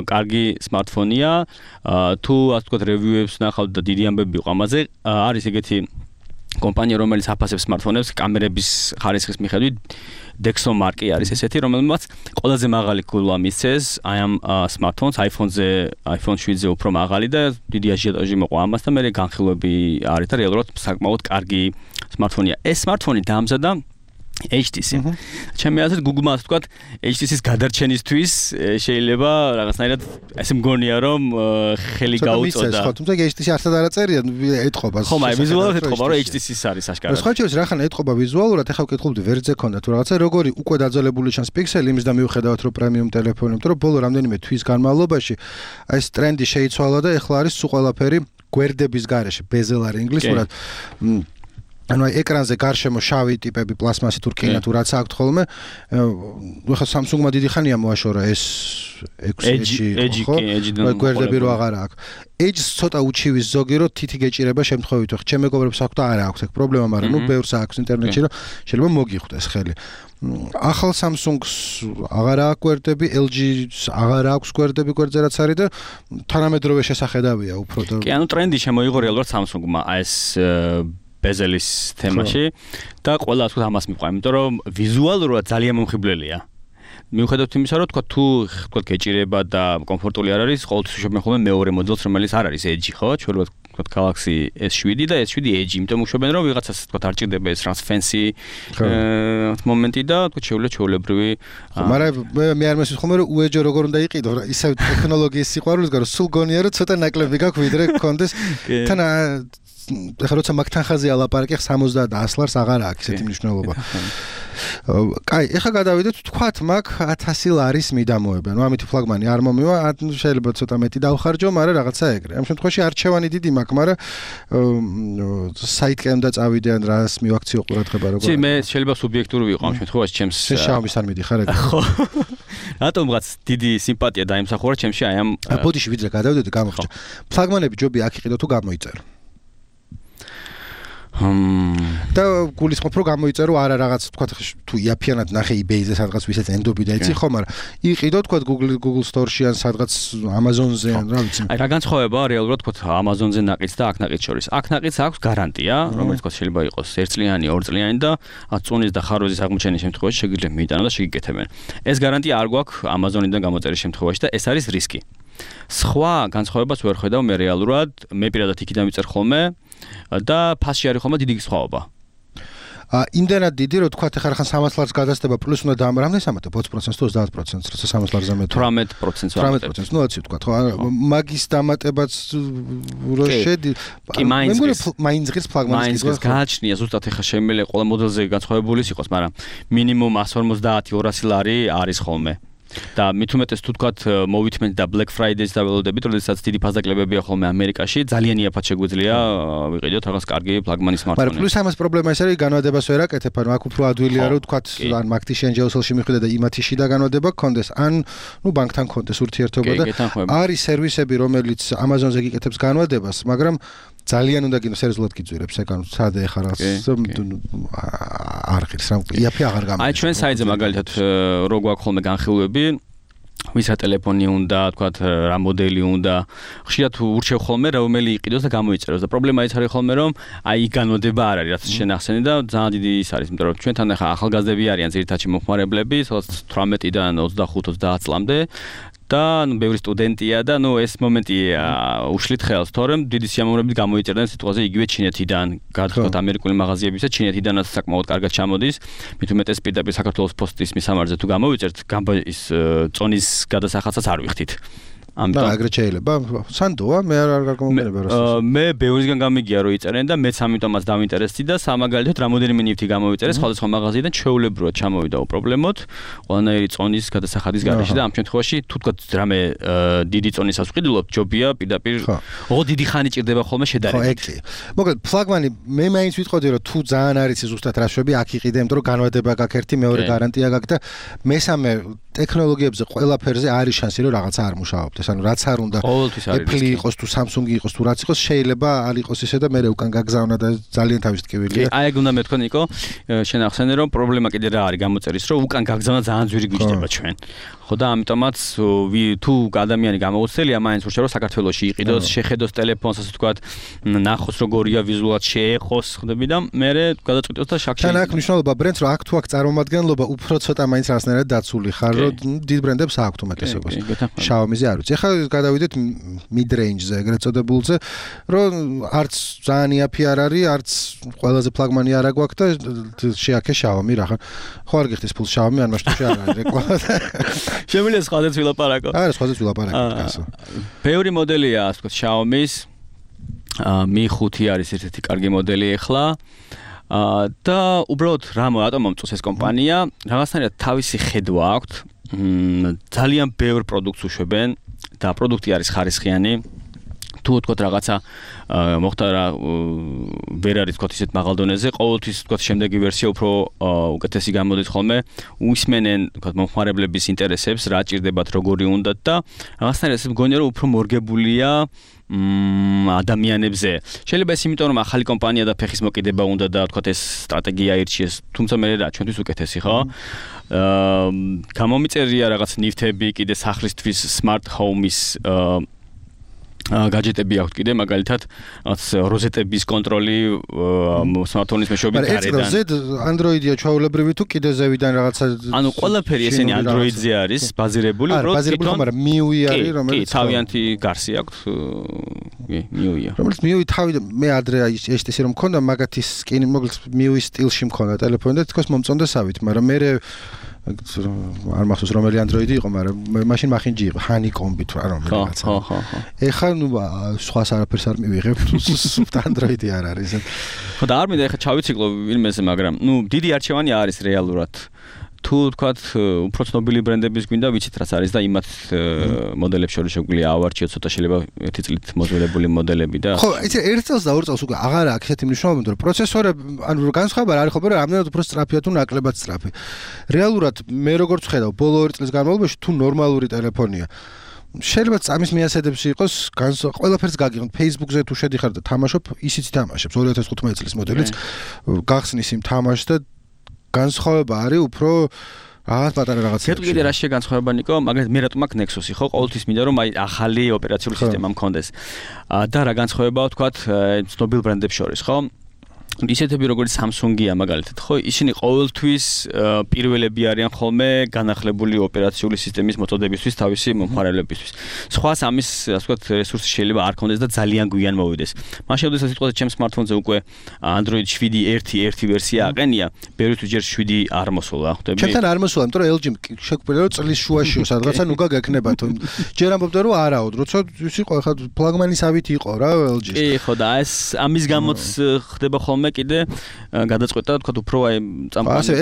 კარგი smartphone-ია, თუ ასე ვთქვათ review-ებს ნახავთ და დიდი ამბები იყო ამაზე, არის ეგეთი კომპანია რომელიც აფასებს smartphone-ებს კამერების ხარისხის მიხედვით Dexo მარკი არის ესეთი რომელმაც ყველაზე მაღალი გულა მისცეს აი ამ smartphones iPhone-ზე iPhone 7-ზე უფრო მაღალი და დიდი აჟიოტაჟი მოყვა ამას და მე განხილვები არის და რეალურად საკმაოდ კარგი smartphone-ია ეს smartphone-ი დაამზადა HTC. ჩემი აზრით Google-მა ასე ვთქვათ, HTC-ს გადარჩენისთვის შეიძლება რაღაცნაირად ესე მგონია, რომ ხელი გაუწოდა. ხო, თუმცა HTC არცად არ აწერია, ეთყობა. ხო, მაგრამ ვიზუალურად ეთყობა, რომ HTC-ს არის აშკარად. სხვა შეიძლება რახან ეთყობა ვიზუალურად, ეხლა ვკითხულობდი ვერტზე ქონდა თუ რაღაცა, როგორი უკვე დაძალებული ჩანს პიქსელი, იმის და მიუხედავად რომ პრემიუმ ტელეფონი, იმიტომ რომ ბოლო რამდენიმე თვის განმავლობაში ეს ტრენდი შეიცვალა და ეხლა არის სულ ყველაფერი გვერდების გარეშე, bezel არის ინგლისურად. ანუ ეკრანზე გარშემო შავი ტიპები პლასმასი თუ რკინა თუ რაც აქვს ხოლმე ხა Samsung-მა დიდი ხანია მოაშორა ეს Edge ხო გვერდები რო აღარ აქვს Edge ცოტა უჩივის ზოგი რო თითი გეჭირება შემთხვევით ხო ჩემ მეგობრებს აქვს და არა აქვს ეგ პრობლემა მაგრამ ნუ ბევრს აქვს ინტერნეტში რომ შეიძლება მოგიხვდეს ხელი ახალ Samsung-ს აღარ აქვს გვერდები LG-ს აღარ აქვს გვერდები გვერდზე რაც არის და თანამედროვე შესახედავია უფრო და კი ანუ ტრენდი შემოიღო რეალურად Samsung-მა ეს bezel-ის თემაში და ყველა ასე ამას მიყვება, იმიტომ რომ ვიზუალურად ძალიან მომხიბლელია. მიუხედავად იმისა, რომ თუ გეჭირება და კომფორტული არ არის, ყოველთვის ვშობენ ხოლმე მეორე მოდელს, რომელიც არ არის Edge, ხო? ჩვენ ვთქვათ Galaxy S7 და S7 Edge, იმიტომ ვშობენ რომ ვიღაცას ვთქვათ არ ჭირდება ეს რაც fancy მომენტი და ვთქვათ ჩვეულებრივი მაგრამ მე არ მესმის ხოლმე რომ უეჯო როგორ უნდა იყიდო, ისევ ტექნოლოგიის სიყვარულის გარო სულ გონია რომ ცოტა ნაკლები გაქვს ვიდრე გქონდეს თან ეხლა როცა მაგთან ხაზი ალაპარაკი 70 და 100 ლარს აღარ აქვს ესეთი მნიშვნელობა. კაი, ეხლა გადავიდეთ თქვათ მაგ 1000 ლარის მიდამოება. ნუ ამით ფლაგმანი არ მომივა, შეიძლება ცოტა მეტი დავხარჯო, მაგრამ რაღაცა ეგრე. ამ შემთხვევაში არჩევანი დიდი მაქვს, მაგრამ საიტკენ და წავიდიან რას მივაქციო ყურადღება როგორ. ცი მე შეიძლება სუბიექტური ვიყო ამ შემთხვევაში ჩემს Xiaomi-ს არ მიდიხარ ეგრე. ხო. რატომღაც დიდი სიმპათია დაიმსახურა ჩემში აი ამ ბოდიში ვიდრე გადავიდეთ გამოხჭა. ფლაგმანები ჯობი აქ იყიდო თუ გამოიწერო. და გულისხმობ რომ გამოიწერო არა რაღაც თქვა თუ იაფიანად ნახე eBay-ზე სადღაც ვისაც ენდობი და იცი ხო მაგრამ იყიდო თქვა Google Store-ში ან სადღაც Amazon-ზე ან რა ვიცი აი რა განსხვავებაა რეალურად თქვა Amazon-ზე ნაყიდს და აქ ნაყიდს შორის აქ ნაყიდს აქვს გარანტია რომელიც თქვა შეიძლება იყოს 1 წლიანი 2 წლიანი და წუნის და ხარვეზის აღმოჩენის შემთხვევაში შეგიძლიათ მიიტანო და შეგიკეთებენ ეს გარანტია არ გვაქვს Amazon-იდან გამოწერის შემთხვევაში და ეს არის რისკი სხვა განსხვავებას ვერ ხედავ მე რეალურად მე პირადად იქიდან ვიწერ ხოლმე და ფასში არის ხოლმე დიდი სხვაობა. იმდენად დიდი რომ თქვა ეხლა ხან 300 ლარს გადასდება პლუს უნდა დამრამდე 20% თუ 30% როცა 300 ლარზე მეტი 18% ნუ აცი თქვა ხო მაგის დამატებაც რო შედი მაინც ღირს ფლაგმანის ის გააჩნია ზუსტად ეხლა შემიძლია ყველა მოდელზე განსხვავებული იყოს მაგრამ მინიმუმ 150-200 ლარი არის ხოლმე. და მithumetes თუ თქვათ მოვითმენთ და Black Friday-ს დაველოდებით, როდესაც დიდი ფასდაკლებებია ხოლმე ამერიკაში, ძალიან იაფად შეგვიძლია ვიყიდოთ რაღაც კარგი ფლაგმანი smartphone-ი. მაგრამ პლუს ამას პრობლემა ის არის, განვადებას ვერ აკეთებ, ანუ აქ უფრო ადვილია რომ თქვათ ან მაგთიში ან ჯეოსელში მიხვიდე და იმათიში და განვადება გქონდეს, ან ნუ ბანკთან გქონდეს ურთიერთობა და არის სერვისები, რომელიც Amazon-ზე გიკეთებს განვადებას, მაგრამ ძალიან უნდა გინო სერიოზულად გიძვირებს ეგ ანუ სადე ხარ არ ღირს რა იაფი აღარ გამოდის აი ჩვენ საიტზე მაგალითად რო გვაქვს ხოლმე განხილვები ვისა ტელეფონი უნდა თქვათ რა მოდელი უნდა ხშირად ურჩევ ხოლმე რომელი იყიდოს და გამოიწეროს და პრობლემა ის არის ხოლმე რომ აი განმოდება არ არის რაც შენახსენი და ძალიან დიდი ის არის იმიტომ რომ ჩვენთან ახლა ახალგაზრდები არიან ძირითადად მომხმარებლები სადაც 18-დან 25-30 წლამდე და ნუ ბევრი სტუდენტია და ნუ ეს მომენტი უშლით ხელს თორემ დიდი სიამოვნებით გამოიწერდნენ სიტყვაზე იგივე ჩინეთიდან გადახდოთ ამერიკული მაღაზიებისა ჩინეთიდანაც საკმაოდ კარგად ჩამოდის მithumetes პირდაპირ საქართველოს პოსტის მისამართზე თუ გამოიწერთ ის წონის გადასახადსაც არ ვიხდით ამიტომ აგრეთ შეიძლება სანდოა მე არ გამომერება რას მე ბევრისგან გამიგია რომ იწერენ და მეც ამიტომაც დავინტერესდი და სამაგალითოდ რამოდენიმე ნივთი გამოიწერეს სხვადასხვა მაღაზიიდან ჩვეულებრივად ჩამოვიდა უპრობლემოდ ყველანაირი წონის გადასახადის გარეშე და ამ შემთხვევაში თუ თქვა რამე დიდი წონისას ვყიდულობ ჯობია პირდაპირ ოღონდ დიდი ხანი ჭირდება ხოლმე შედარებით მოკლედ ფლაგმანი მე მაინც ვიტყოდი რომ თუ ძალიან არის ზუსტად რა შვები აქ იყიდე იმიტომ რომ განვადება გაქვს ერთი მეორე გარანტია გაქვს და მესამე ტექნოლოგიებზე ყველაფერზე არის შანსი რომ რაღაცა არ მუშაობდეს ანუ რაც არ უნდა Apple იყოს თუ Samsung იყოს თუ რაც იყოს შეიძლება არ იყოს ისე და მე უკან გაგზავნა და ძალიან თავის ტკივილია. აი ეგ უნდა მეთქვა ნიკო შენ ახსენე რომ პრობლემა კიდე რა არის გამოწერის რომ უკან გაგზავნა ძალიან ძვირი გვიჭდება ჩვენ. ხო და ამიტომაც თუ ადამიანი გამოუცდელია მაინც ურჩევა რომ საქართველოში იყიდოს, შეხედოს ტელეფონს, ასე ვთქვათ, ნახოს როგორია ვიზუალად შეეხოს, ხდები და მე გადაწყვიტოს და შაქში. თან აქ მნიშვნელობა ბრენდს რომ აქ თუ აქ წარმომადგენლობა უფრო ცოტა მაინც რაღაცნაირად დაცული ხარ, რომ დიდ ბრენდებს აქვთ უმეტესობას. Xiaomi-ზე არ ვიცი. ეხლა გადავიდეთ mid-range-ზე, ეგრეთ წოდებულზე, რომ არც ძალიან იაფი არ არის, არც ყველაზე ფლაგმანი არ აგვაქვს და შეაქე Xiaomi რა ხარ. ხო არ გიხდის ფულს Xiaomi, ან მასში არ არის რეკლამა. შემიძლია სხვადასხვა ვილაპარაკო. არა, სხვადასხვა ვილაპარაკო კაცო. ბევრი მოდელია, ასე ვთქვათ, Xiaomi-ს. Mi 5 არის ერთ-ერთი კარგი მოდელი ახლა. და უბრალოდ რატომ მომწონს ეს კომპანია? რაღაცნაირად თავისი ხედვა აქვთ. ძალიან ბევრ პროდუქტს უშვებენ და პროდუქტი არის ხარისხიანი. თუ ვთქვათ რაღაცა მოხდა რა ვერ არის ვთქვათ ისეთ მაღალ დონეზე, ყოველთვის ვთქვათ შემდეგი ვერსია უფრო უკეთესი გამოდის ხოლმე, უისმენენ ვთქვათ მომხმარებლების ინტერესებს, რა ჭირდებათ, როგორი უნდათ და რაღაცნაირად ესე მგონია რომ უფრო მორგებულია ადამიანებზე. შეიძლება ეს იმიტომ რომ ახალი კომპანია და ფეხის მოკიდება უნდა და ვთქვათ ეს სტრატეგია ირჩიეს, თუმცა მე რა ჩვენთვის უკეთესი ხო? გამომიწერია რაღაც ნივთები კიდე სახლისთვის smart home-ის gadgetები აქვთ კიდე მაგალითად როზეტების კონტროლი smartphone-ის მეშვეობით გარედან. მაგრამ ეს Android-ია ჩვეულებრივი თუ კიდე ზევიდან რაღაცა ანუ ყველაფერი ესენი Android-ზე არის ბაზირებული, უბრალოდ მაგრამ MIUI არის რომელიც თავიანთი გარსი აქვს. MIUI-ია. რომელიც MIUI თავი მე ადრე HTC რომ მქონდა მაგათი სკინი მოკლედ MIUI სტილში მქონდა ტელეფონი და თქოს მომწონდა სავით, მაგრამ მე არ მახსოვს რომელი Android-ი იყო, მაგრამ მაშინ მახინჯი იყო, Honeycomb-ი თუ რა რომელი რაღაცა. ხო. ეხლა ნუ სხვას არაფერს არ მივიღებ, სუფტ Android-ი არ არის. ხო და არ მინდა ეხლა ჩავიციკლო ვინმეზე, მაგრამ ნუ დიდი არჩევანი არის რეალურად. თუ ვთქვათ უფრო ცნობილი ბრენდების გვინდა ვიცით რაც არის და იმათ მოდელებს შორის შეგვიძლია ავარჩიოთ ცოტა შეიძლება ერთი წლით მოძველებული მოდელები და ხო იცი ერთ წელს და ორ წელს უკვე აღარ აქვს ესეთი მნიშვნელობა რომ პროცესორები ანუ განსხვავება არ არის ხო მაგრამ რამდენად უფრო სწრაფია თუ ნაკლებად სწრაფი რეალურად მე როგორც ხედავ ბოლო 2 წლის განმავლობაში თუ ნორმალური ტელეფონია შეიძლება წამის მიასედებს იყოს ყველაფერს გაგიღოთ Facebook-ზე თუ შედიხარ და თამაშობ ისიც თამაშებს 2015 წლის მოდელიც გახსნის იმ თამაშს და განსხვავება არის უფრო რაღაც პატარა რაღაცა. გეტყვი კიდე რა შეგანსხვავება ნიკო, მაგალითად მე რატომ აქ Nexus-ი ხო, ყოველთვის მინდა რომ აი ახალი ოპერაციული სისტემა მქონდეს. და რა განსხვავებაა ვთქვათ ცნობილ ბრენდებს შორის, ხო? ისეთები როგორც Samsung-ია მაგალითად, ხო, ისინი ყოველთვის პირველები არიან ხოლმე განახლებული ოპერაციული სისტემის მოწოდებისთვის თავისი მომხმარებლებისთვის. სხვას ამის, ასე ვთქვათ, რესურსი შეიძლება არ ქონდეს და ძალიან გვიან მოვიდეს. მაშინ როდესაც სიტყვაზე ჩემს smartphone-ზე უკვე Android 7.1 ვერსია აყენია, ბევრთვის ჯერ 7 არ მოსულა, ხვდები? ჩემთან არ მოსულა, იმიტომ რომ LG შეგვიძლია რომ წლის შუაშიო სადღაცა ნუგა გექნება თუ ჯერ ამბობდა რომ არაოდ, როცა ის იყო ხა ფლაგმანის ავით იყო რა LG-ს. კი, ხო და ეს ამის გამოც ხდება ხოლმე კიდე გადაწყვეტა თქვა უფრო აი წამყვანი ასე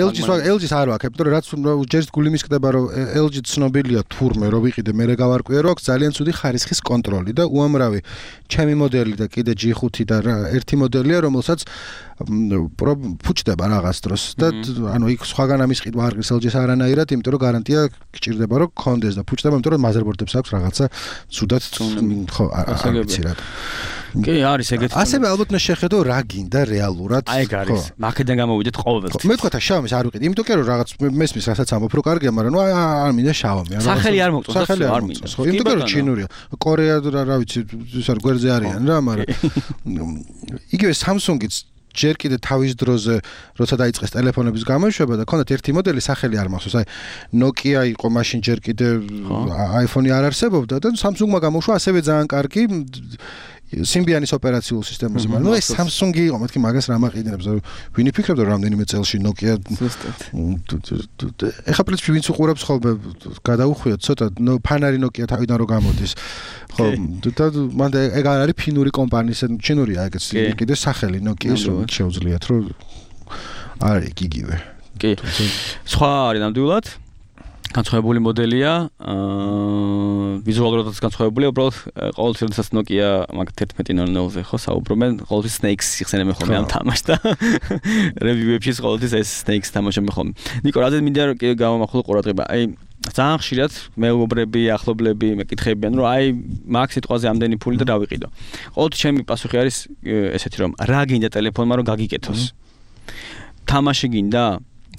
LG-ს არ ვაკეთებ, იმიტომ რომ რაც ჯერ გული მისკდება რომ LG ცნობილია თურმე რომ ვიყიდე მე გავარკვიე რომ აქვს ძალიან ცუდი ხარისხის კონტროლი და უამრავი ჩემი მოდელი და კიდე G5 და ერთი მოდელია რომელსაც ფუჭდება რაღაც დროს და ანუ იქ სხვაგან ამის ყიდვა არ ყრის LG-ს არანაირად, იმიტომ რომ გარანტია გჭირდება რომ გქონდეს და ფუჭდება, იმიტომ რომ მაზერბორდებს აქვს რაღაცა ცუდად ხო არ ვიცი რა. კი, არის ეგეთი. ასევე ალბათ უნდა შეხედო რა გინდა რეალურად. აი ეგ არის. მაქედან გამოვიდეთ ყოველთვის. მე თქვა Xiaomi-ს არ ვიყიდე, იმიტომ რომ რაღაც მესმის რასაც ამბობ რომ კარგია, მაგრამ ნუ არ მინდა Xiaomi. სახელი არ მოგწონს, სახელი არ მინდა. ხო, იმიტომ რომ ჩინურია. კორეა რა ვიცი, ის არ გვერდზე არიან რა, მაგრამ იგივე Samsung-იც ჯერ კიდე თავის დროზე როცა დაიწყეს ტელეფონების გამოშვება და ქონდათ ერთი მოდელი სახელი არ მახსოვს, აი Nokia იყო მაშინ ჯერ კიდე iPhone-ი არ არსებობდა და Samsung-მა გამოუშვა ასევე ძალიან კარგი Symbian-ის ოპერაციულ სისტემაზე, მაგრამ ნუ ეს Samsung-ი იყო, მეთქი მაგას რა მაყიდებს, ვინ იფიქრებდა რომ რამდენიმე წელში Nokia ეხა პრინციპი ვინც უყურებს ხოლმე გადაუხვიოთ ცოტა ფანარი Nokia თავიდან რო გამოდის. ხო, და მანდ ეგ არის ფინური კომპანიის, ჩინურია ეგეც კიდე სახელი Nokia-ის რომ შეუძლიათ რომ არის იგივე. კი. სხვა არის ნამდვილად განსხვავებული მოდელია, ვიზუალურადაც განსხვავებულია, უბრალოდ ყოველთვის როდესაც Nokia მაგ 11.00-ზე ხო საუბრობენ, ყოველთვის Snakes იხსენებენ ხოლმე ამ თამაშს და review-ებში ყოველთვის ეს Snakes თამაშობენ ხოლმე. ნიკო, რადგან მინდა გავამახვილო ყურადღება, აი ძალიან ხშირად მეუბრები, ახლობლები მეკითხებიან, რომ აი მაგ სიტყვაზე ამდენი ფული და დავიყიდო. ყოველთვის ჩემი პასუხი არის ესეთი, რომ რა გინდა ტელეფონმა რომ გაგიკეთოს. თამაში გინდა?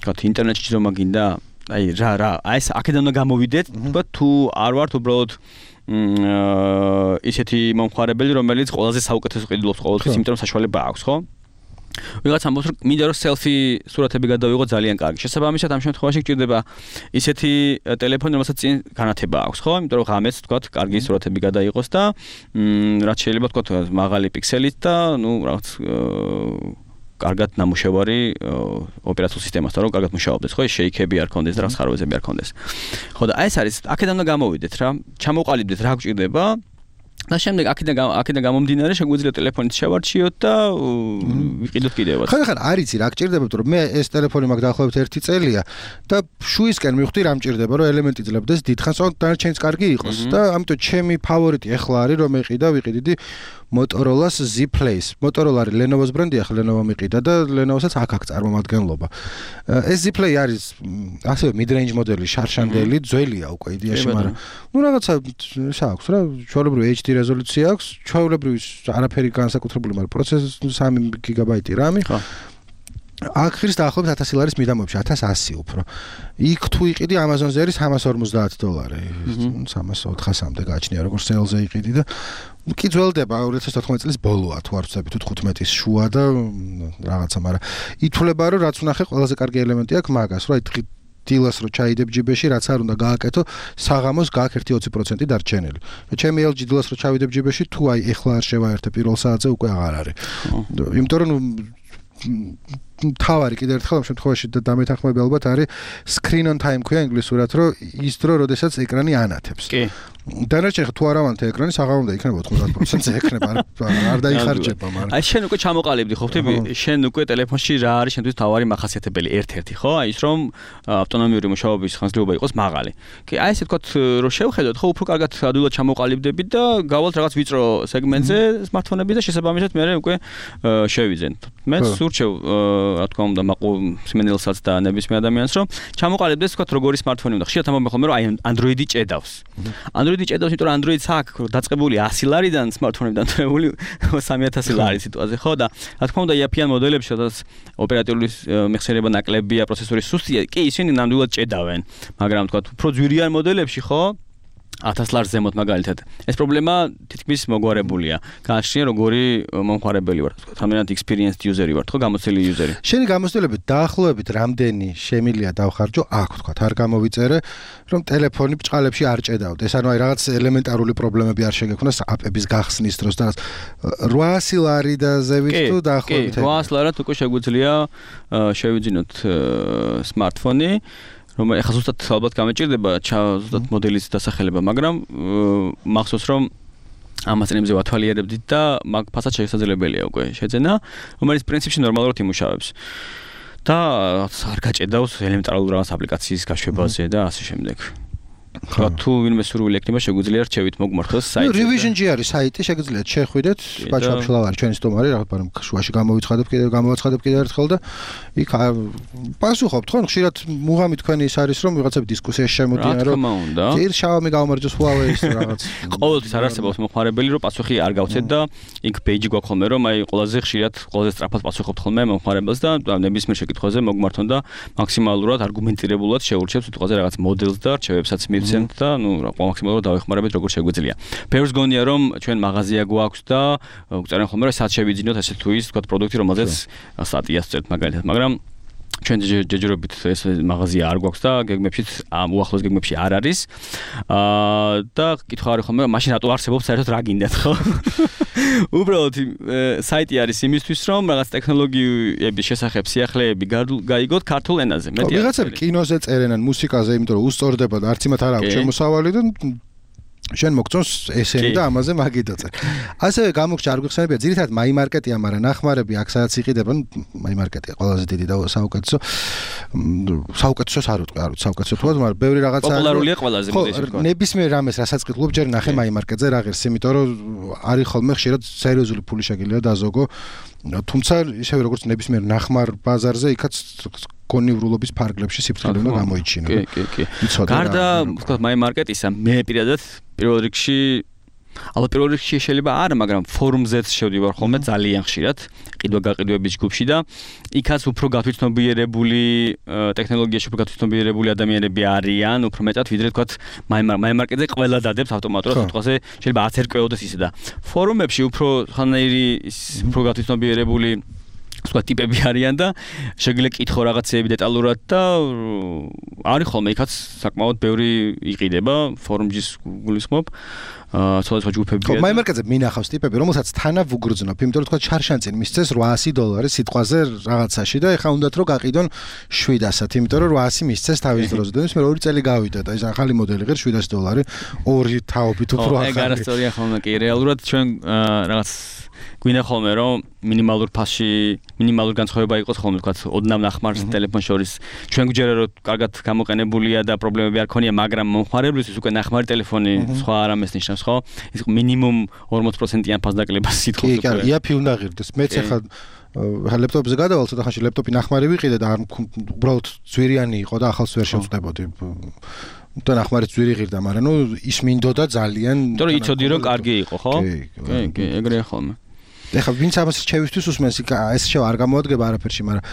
თქვათ ინტერნეტში ჯდომა გინდა? აი რა ეს აქედან უნდა გამოვიდეთ, თქო თუ არ ვართ უბრალოდ ისეთი მომხმარებელი, რომელიც ყველაზე საუკეთესო ყიდულობს ყოველთვის, იმიტომ რომ საშუალება აქვს, ხო? ვიღაც ამბობს რომ მინდა რომ სელფი სურათები გადავიღო ძალიან კარგი. შესაბამისად ამ შემთხვევაში გჭირდება ისეთი ტელეფონი, რომელსაც წინ განათება აქვს, ხო? იმიტომ რომ ღამეც თქვათ კარგი სურათები გადაიღოს და რაც შეიძლება თქვათ მაღალი პიქსელით და ნუ რაღაც კარგად ნამუშევარი ოპერაციულ სისტემასთან რომ კარგად მუშაობდეს, ხო? შეიქები არ ქონდეს და რაღაც ხარვეზები არ ქონდეს. ხო და აი ეს არის აქედან უნდა გამოვიდეთ რა. ჩამოყალიბდეთ რა გჭირდება და შემდეგ აქედან გამომდინარე შეგვიძლია ტელეფონით შევარჩიოთ და ვიყიდოთ კიდევაც. ხან არ იცი რა გჭირდება, რომ მე ეს ტელეფონი მაქვს დაახლოებით 1 წელია და შუისკენ მივხვდი რა მჭირდება, რომ ელემენტი ძლebდეს დიდხანს, დანარჩენიც კარგი იყოს და ამიტომ ჩემი ფავორიტი ახლა არის რომ ვიყიდი Motorola-ს Z Play-ს. Motorola არის Lenovo-ს ბრენდი, ახლა Lenovo მიყიდა და Lenovo-საც აქ წარმომადგენლობა. ეს Z Play არის ასევე mid-range მოდელი, შარშანდელი, ძველია უკვე იდეაში, მაგრამ ნუ რაღაცა აქვს რა, ჩვეულებრივი HD რეზოლუცია აქვს, ჩვეულებრივი არაფერი განსაკუთრებული, მაგრამ პროცესორი 3 გიგაბაიტი RAM-ი. ხო. აქ ხრის დაახლოებით 1000 ლარის მიდამოებში, 1100 უფრო. იქ თუ იყიდი Amazon-ზე არის $350. 300-400-მდე გააჩნია, როგორც sales-ზე იყიდი და კი ძველდება 2014 წლის ბოლოა თუ არ ვცდები თუ 15-ის შუა და რაღაცა, მაგრამ ითვლება რომ რაც ვნახე ყველაზე კარგი ელემენტი აქვს მაგას, რომ აი დილას რო ჩაიდებ ჯიბეში, რაც არ უნდა გააკეთო, საღამოს გააკ 1-20% დარჩენილი. ჩემი LG დილას რო ჩავიდებ ჯიბეში, თუ აი ეხლა არ შევაერთე პირველ საათზე უკვე აღარ არის. იმიტომ რომ თავარი კიდევ ერთხელ ამ შემთხვევაში და დამეთანხმები ალბათ არის screen on time ქვია ინგლისურად, რომ ის დრო, როდესაც ეკრანი ანათებს. კი. დანარჩენი თუ არ ავანთე ეკრანი, საღამომდე იქნება 90%-ზე ექნება, არ დაიხარჯება, მაგრამ. აი შენ უკვე ჩამოყალიბდი, ხო ხტები? შენ უკვე ტელეფონში რა არის შენთვის თავარი მახასიათებელი ერთ-ერთი, ხო? აი ის რომ ავტონომიური მუშაობის ხანგრძლივობა იყოს მაღალი. კი, აი ესე თქვათ რომ შევხედოთ, ხო, უფრო კარგად ადვილად ჩამოყალიბდებით და გავალთ რაღაც ვიწრო სეგმენტზე smartphone-ები და შესაბამისად მე უკვე შევიძენთ. მე სურჩევ რა თქმა უნდა სიმენელსაც და ნებისმიერ ადამიანს რომ ჩამოყალიბდეს თქვათ როგორი smartphone-ი უნდა. ხშირად ამბობენ ხოლმე რომ აი Android-ი ჭედავს. Android-ი ჭედავს, იმიტომ რომ Android-ს აქვს დაწყებული 100 ლარიდან smartphone-იდან დრეული 3000 ლარის სიტუაციაზე, ხო და რა თქმა უნდა იაფიან მოდელებში, სადაც ოპერატიული მეხსიერება ნაკლებია, პროცესორი სუსტია, კი ისინი ნამდვილად ჭედავენ, მაგრამ თქვათ უფრო ძვირიან მოდელებში, ხო 1000 ლარს ზემოთ მაგალითად. ეს პრობლემა თითქმის მოგვარებულია. გააჩნია როგორი მომხმარებელი ვარ, თქვა, თამერად experienced user-ი ვარ, ხო, გამოცდილი user-ი. შენი გამოცდილებით დაახლოებით რამდენი შემილია დავხარჯო, აქ თქვა, არ გამოვიწერე, რომ ტელეფონი ბჭყალებში არ ჭედავდეს. ანუ აი რაღაც ელემენტარული პრობლემები არ შეგექონოს აპების გახსნის დროს და 800 ლარი და ზევით თუ დაახლოებით 800 ლარად უკვე შეგვიძლია შევიძინოთ smartphone-ი. რომ ეხლა ზუსტად ალბათ გამეჭირდება ზუსტად მოდელის დასახელება, მაგრამ მახსოვს რომ ამას წინებზე ვათვალიერებდით და მაგ ფასად შესაძლებელია უკვე შეძენა, რომელიც პრინციპში ნორმალურად იმუშავებს. და არ გაჭედავს ელემენტარულ რაღაც აპლიკაციის გაშვებაზე და ასე შემდეგ. ხო თუ ვინმე სურვილი ექნება შეგვიძლია რჩევით მოგმართოს საიტზე. Revision-ი არის საიტი, შეგიძლიათ შეხვიდეთ, ბაჩაფშლავ არის ჩვენი სტუმარი, მაგრამ შუაში გამოვაცხადებ კიდევ ერთხელ და იქ პასუხობთ, ხო, ხშირად მუღამი თქვენი ის არის, რომ ვიღაცები დისკუსიაში შემოდიან, რომ ძირ Xiaomi გამომარჯოს Huawei-ის რაღაც. ყოველთვის არ არსებობს მომხმარებელი, რომ პასუხი არ გავცეთ და იქ პეიჯი გვაქვს ხოლმე, რომ აი ყველაზე ხშირად, ყველაზე სწრაფად პასუხობთ ხოლმე მომხმარებელს და ნებისმიერ შეკითხვაზე მოგმართონ და მაქსიმალურად არგუმენტირებულად შეურჩევთ სიტყვაზე რაღაც მოდელს და რჩევებსაც მივცემთ და ნუ მაქსიმალურად დავეხმარებით როგორ შეგვიძლია. ფერს გონია რომ ჩვენ მაღაზია გვაქვს და გვწერენ ხოლმე რომ სად შევიძინოთ ესე თუ ის თქვა პროდუქტი რომელზეც სტატიას წერთ მაგალითად, მაგრამ ჩვენ ჯერჯერობით ეს მაღაზია არ გვაქვს და გეგმებშიც უახლოს გეგმებში არ არის. და კითხვა არის ხოლმე მაშინ რატო არსებობს საერთოდ რა გინდათ, ხო? უბრალოდ საიტი არის იმისთვის რომ რაღაც ტექნოლოგიების შესახებ სიახლეები გაიგოთ ქართულ ენაზე. მეტი ვიღაცები კინოზე წერენ ან მუსიკაზე, იმიტომ რომ უსწორდება და არც იმათ არ აქვს შემოსავალი და შენ მოგწონს ესენი და ამაზე მაგიდაწე. ასევე გამოგჭა არ გიხსენებია, ძირითადად მაიმარკეტია, მაგრამ ნახმარები აქ სადაც იყიდება, მაიმარკეტია ყველაზე დიდი და საუკეთესო. საუკეთესოს არ ვიტყვი, არ ვიცი საუკეთესო თუად, მაგრამ ბევრი რაღაცა პოპულარულია ყველაზე მოდეში თქვა. ნებისმიერ რამეს რასაც ყიდულობ, ჯერ ნახე მაიმარკეტზე რა ღირს, იმიტომ რომ არის ხოლმე ხშირად სერიოზული ფული შეგიძლია დაზოგო. თუმცა ისევე როგორც ნებისმიერ ნახმარ ბაზარზე, იქაც კონიურულობის ფარგლებში სიფრთხილე უნდა გამოიჩინო. კი. გარდა, ვთქვათ, მაიმარკეტისა, მე პირადად პირველ რიგში ალბათ პირველ რიგში შეიძლება არა, მაგრამ ფორუმზეც შევდივარ ხოლმე ძალიან ხშირად, ყიდვა-გაყიდვების ჯგუფში და იქაც უფრო გათვითცნობიერებული ტექნოლოგიაში უფრო გათვითცნობიერებული ადამიანები არიან, უფრო მეტად ვიდრე თქვათ მაიმარკეტზე ყველა დადებს ავტომატურად სიტყვაზე, შეიძლება არც ერკვეოდეს ისე და ფორუმებში უფრო ხანაირი უფრო გათვითცნობიერებული სხვა ტიპები არიან და შეგვიძლია კითხო რაღაცეები დეტალურად და არის ხოლმე იქაც საკმაოდ ბევრი იყიდება ფორუმის გულისხმობ სხვადასხვა ჯგუფებია. მაიმარკეტზე მინახავს ტიპები, რომელსაც თანავ უგრძნობ, იმიტომ რომ თქვა ჩარშანწინ მისცეს $800 სიტყვაზე რაღაცაში და ეხა უნდათ რომ გაყიდონ 700-ად, იმიტომ რომ 800 მისცეს თავის დროზე და მე 2 წელი გავიდა და ეს ახალი მოდელი ღირს $700, ორი თაობით უფრო ახალი. ეგ არასწორია ხოლმე კი, რეალურად ჩვენ რაღაც გვინდა ხოლმე რომ მინიმალურ ფასში მინიმალური განსხვავება იყოს ხოლმე თქვა ოდნავ ნახმარს ტელეფონ შორის ჩვენ გვჯერა რომ კარგად გამოყენებულია და პრობლემები არ ქონია მაგრამ მომხმარებლისთვის უკვე ნახმარი ტელეფონი სხვა არამეს ნიშნავს ხო ის მინიმუმ 40%-იან ფასდაკლებას სიტყვის უკვე კი იაფი უნდა ღირდეს მეც ახლა ლეპტოპზე გადავალ ცოტა ხანში ლეპტოპი ნახმარი ვიყიდე და უბრალოდ ძვირიანი იყო და ახალს ვერ შევწდებოდი და ნახმარი ძვირი ღირდა მაგრამ ნუ ის მინდოდა ძალიან იმიტომ რომ იცოდი რომ კარგი იყო ხო კი ეგრეა ხოლმე ეხლა ვინც ამას რჩევისთვის უსმენს ეს შევა არ გამოადგება არაფერში მაგრამ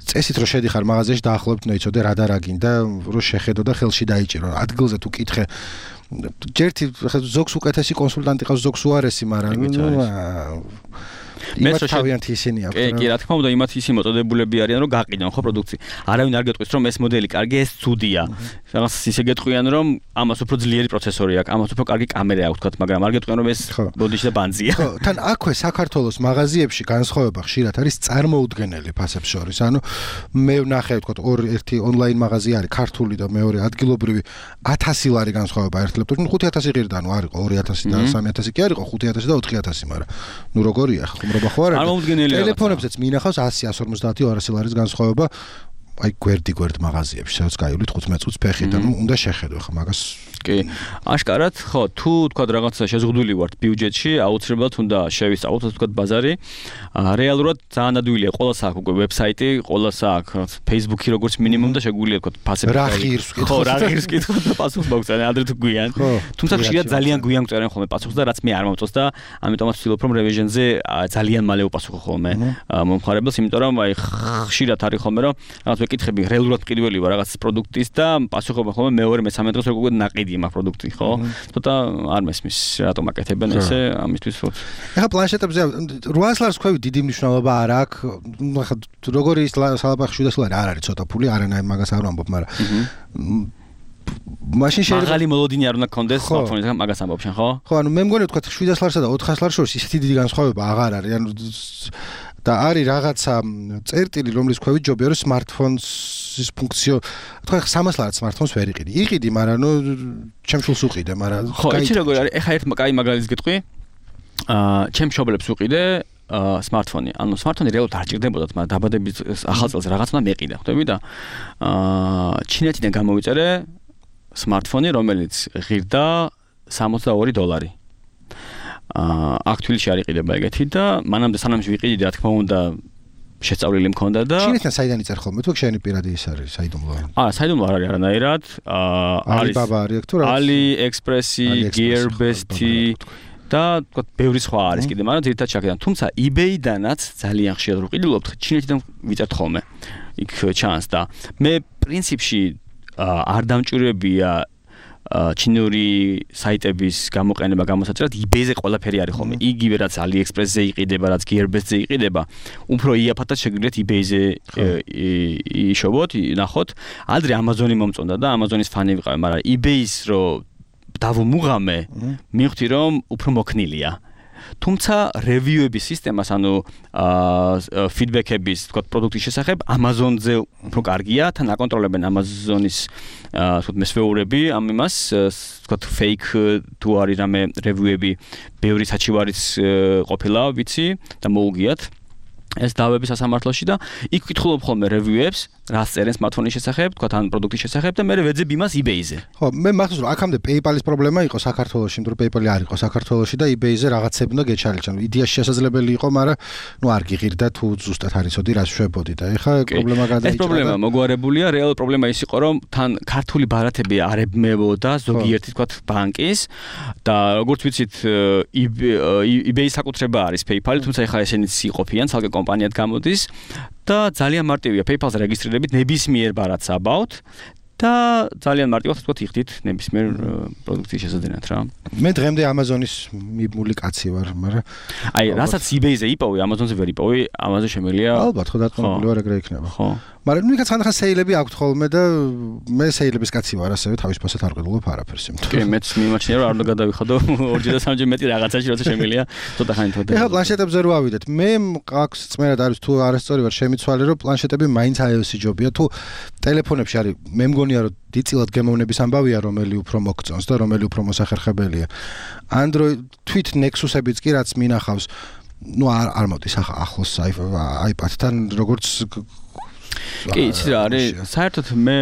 წესით რომ შედიხარ მაღაზიაში დაახლოებით უნდა იცოდე რა და რა გინდა რომ შეხედო და ხელში დაიჭირო ადგილზე თუ კითხე ჯერთი ზოგს უკეთესი კონსულტანტი ყავს ზოგს უარესი მაგრამ იმათ თავიანთი ისინი აქვს კი რა თქმა უნდა იმათ ისინი მოტოდებულები არიან რომ გაყიდონ ხო პროდუქცია არავინ არ გეტყვის რომ ეს მოდელი კარგი ეს ცუდია რაღაც ისე გეტყვიან რომ ამას უფრო ძლიერი პროცესორი აქვს ამას უფრო კარგი კამერა აქვს თქვათ მაგრამ არ გეტყვიან რომ ეს ბოდიში და ბანძია ხო თან აქვე საქართველოს მაღაზიებში განსხვავება ხშირად არის წარმოუდგენელი ფასებს შორის ანუ მე ვნახე თქვათ ერთი ონლაინ მაღაზია არის ქართული და მეორე ადგილობრივი 1000 ლარი განსხვავება ერთ ლეპტოპში 5000 ღირდა ანუ არისო 2000 და 3000 კი არისო 5000 და 4000 მაგრამ ნუ როგორია ხო ტელეფონებზეც მინახავს 100 150 200 ლარის განსხვავება აი გვერდი მაღაზიებში სადაც გაივლით 15 წუთს ფეხით და უნდა შეხედო ხა მაგას კი აშკარად ხო თუ თქვა რაღაცა შეზღუდული ვართ ბიუჯეტში აუცილებლად უნდა შევისწავლოთ თქვა ბაზარი რეალურად ძალიან ადვილია ყოველს აქვს უკვე ვებსაიტი ყოველს აქვს Facebook-ი როგორც მინიმუმ და შეგვიძლია თქვა ფასები რა ღირს ხო რა ღირს კითხოთ და პასუხს მოგწერენ ადრე თუ გვიან თუმცა ხშირად ძალიან გვიან წერენ ხოლმე პასუხს და რაც მე არ მომწონს და ამიტომაც ვცდილობ რომ revision-ზე ძალიან მალე უპასუხო ხოლმე მომხმარებელს იმიტომ რომ აი ხშირად არის ხოლმე რომ რაღაც ვეკითხები რეალურად პირველი ვარ რაღაც პროდუქტის და პასუხობა ხოლმე მეორე მე-13 დღეს როგორ ნაყიდი მაგ პროდუქტი ხო? ცოტა არ მესმის რატომ აკეთებენ ესე ამისთვის ხო? ეხლა პლანშეტებზე 800 ლარს ქვევი დიდი მნიშვნელობა არ აქვს. ეხლა როგორი ის სალაპახი 700 ლარი არ არის ცოტა ფული, არანაირ მაგას არ ვამბობ, მაგრამ მაშინ შეიძლება მაღალი მოლოდინი არ უნდა გქონდეს სმარტფონისგან მაგას ამბობ შენ ხო? ხო, ანუ მე მგონი თქვა 700 ლარსა და 400 ლარს შორის ისეთი დიდი განსხვავება აღარ არის. ანუ და არის რაღაცა წერტილი, რომლის ქვევით ჯობია რომ სმარტფონის ფუნქციო, თქვა 300 ლარად სმარტფონს ვერ იყიდი. იყიდი, მაგრამ ნუ ჩემშულს უყიდე, მაგრამ ხო, იცი როგორ არის? ეხა ერთ კაი მაგალითს გეტყვი. ჩემ მშობლებს უყიდე სმარტფონი. ანუ სმარტფონი რეალურად არ ჭირდებოდათ, მაგრამ დაბადების ახალ წელს რაღაც უნდა მეყიდა, ხვდები და ჩინეთიდან გამოვიწერე სმარტფონი, რომელიც ღირდა $62. აქ თბილისში არ იყიდება ეგეთი და მანამდე სანამ ვიყიდი რა თქმა უნდა შეწავლილი მქონდა და ჩინეთიდან საიდან იწერ ხოლმე თუ შენი პირადი ის არის საიდუმლო საიდუმლო არ არის არანაირად არის Alibaba არის თუ რა AliExpress-ი Gearbest-ი და თქვა ბევრი სხვა არის კიდე მაგრამ ძირითადად ჩაკეთდა თუმცა eBay-დანაც ძალიან ხშირად ვიყიდულობთ ჩინეთიდან ვიწერთ ხოლმე იქ ჩანს და მე პრინციპში არ დამჭირებია ჩინური საიტების გამოყენება გამოსაჭრად eBay-ზე ყველაფერი არის ხოლმე. იგივე რაც AliExpress-ზე იყიდება, რაც Gearbest-ზე იყიდება, უფრო იაფათაც შეგვიძლიათ eBay-ზე იშოვოთ, ნახოთ. ადრე Amazon-ი მომწონდა და Amazon-ის ფანი ვიყავი, მაგრამ eBay-ს რო დავუმუღამე, მივხვდი რომ უფრო მოქნილია. თუმცა review-ების სისტემას, ანუ feedback-ების, თქვა პროდუქტის შესახებ Amazon-ზე უფრო კარგია, თან აკონტროლებენ Amazon-ის თქვა მესვეურები ამ იმას, თქვა fake თუ არის რამე review-ები, ბევრი საჩივარიც ყოფილა, ვიცი და მოუგიათ. ეს დავების სასამართლოში და იქ ვკითხულობ ხოლმე review-ებს, რას წერენ smartphone-ის შესახებ, თქვა თან პროდუქტის შესახებ და მე ვეძებ იმას eBay-ზე. ხო, მე მახსოვს რომ აქამდე PayPal-ის პრობლემა იყო საქართველოში, იმიტომ რომ PayPal-ი არ იყო საქართველოში და eBay-ზე რაღაცები უნდა გეჩალიჩან. იდეაში შესაძლებელი იყო, მაგრამ არ გიღირდა თუ ზუსტად არ იცოდი რას შვებოდი და ეხლა პრობლემა გადაიჭრა. ეს პრობლემა მოგვარებულია, რეალური პრობლემა ის იყო, რომ თან ქართული ბარათები არ ებმებოდა ზოგიერთი თქვა ბანკის და როგორც ვიცით eBay-ის საკუთრება არის PayPal-ი, თუმცა ეხლა ესენიც იყოფიან, ცალკე კომპანიად გამოდის და ძალიან მარტივია PayPal-ზე რეგისტრირებით ნებისმიერ ბარათს აბავთ და ძალიან მარტივად თქვა იხდით ნებისმიერ პროდუქტის შესაძენად რა. მე დღემდე Amazon-ის მიბმული კაცი ვარ, მაგრამ აი, რასაც eBay-ზე იპოვე, Amazon-ზე ვერ იპოვე, Amazon-ზე შემიძლია. ალბათ, ხო დატყობილი ვარ ეგრე იქნება. ხო. მაგრამ ნუ იქაც ხანდახან სეილები აქვთ ხოლმე და მე სეილების კაცი ვარ, ასევე თავისუფლად არ ყიდულობ არაფერს იმით. კი, მეც მიმაჩნია რომ არ უნდა გადავიხადო 2 და 3 მეტი რაღაცაში, როცა შემიძლია ცოტა ხანი თოდა. ეხლა პლანშეტებზე რო ავიდეთ, მე აქვს წმენად არის თუ არასწორი ვარ შემიცვალე რომ პლანშეტები მაინც iOS-ი ჯობია, თუ ტელეფონებში არის, მე მგონია რომ დიწილად გემოვნების ამბავია, რომელი უფრო მოგწონს და რომელი უფრო მოსახერხებელია. Android თვით Nexus-ებიც კი რაც მინახავს, ნუ არ მოდის ახლოს iPad-თან როგორც კი, იცი რა არის, საერთოდ მე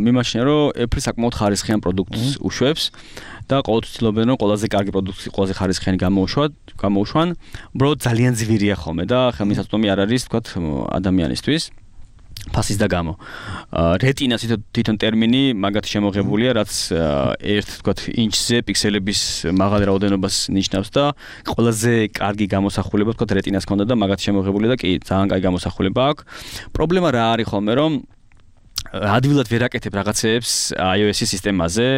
მიმაჩნია რომ Apple საკმაოდ ხარისხიან პროდუქტს უშვებს და ყოველთვის ცდილობენ რომ ყველაზე კარგი პროდუქტი, ყველაზე ხარისხიანი გამოუშვან. უბრალოდ ძალიან ძვირია ხოლმე და ხელმისაწვდომი არ არის, თქვათ, ადამიანისთვის. ფასის და გამო. Retina თვითონ ტერმინი მაგათ შემოღებულია, რაც ერთ, თქვათ, ინჩზე პიქსელების მაღალ რაოდენობას ნიშნავს და ყველაზე კარგი გამოსახულება, თქვათ, Retina-ს ქონდა და მაგათ შემოღებულია და კი, ძალიან კარგი გამოსახულება აქვს. პრობლემა რა არის ხოლმე, რომ ადვილად ვერ აკეთებ რაღაცეებს iOS-ის სისტემაზე.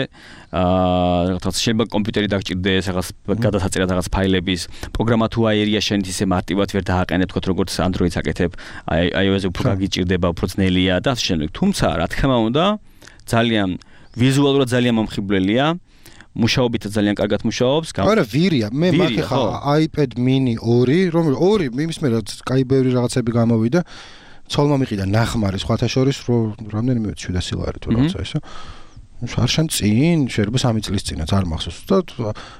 რაღაც შეიძლება კომპიუტერი დაგჭირდეს, რაღაც გადასაწერად რაღაც ფაილების, პროგრამა თუ აერია შენით ისე მარტივად ვერ დააყენებ, თქო როგორც Android-ს აკეთებ, iOS-ზე უფრო გაგიჭირდება, უფრო ძნელია და ასე შემდეგ. თუმცა, რა თქმა უნდა, ძალიან ვიზუალურად ძალიან მომხიბვლელია. მუშაობით ძალიან კარგად მუშაობს. არა, ვირია. მე მაგ ხა iPad mini 2, რომ 2 იმის მე რაც კაი ბევრი რაღაცები გამოვიდა. ცოლმა მიყიდა ნახმარი სხვათა შორის რამდენიმე 700 ლარი თუ რაღაცა ესა. შარშან წინ შეიძლება 3 წლის წინაც არ მახსოვს და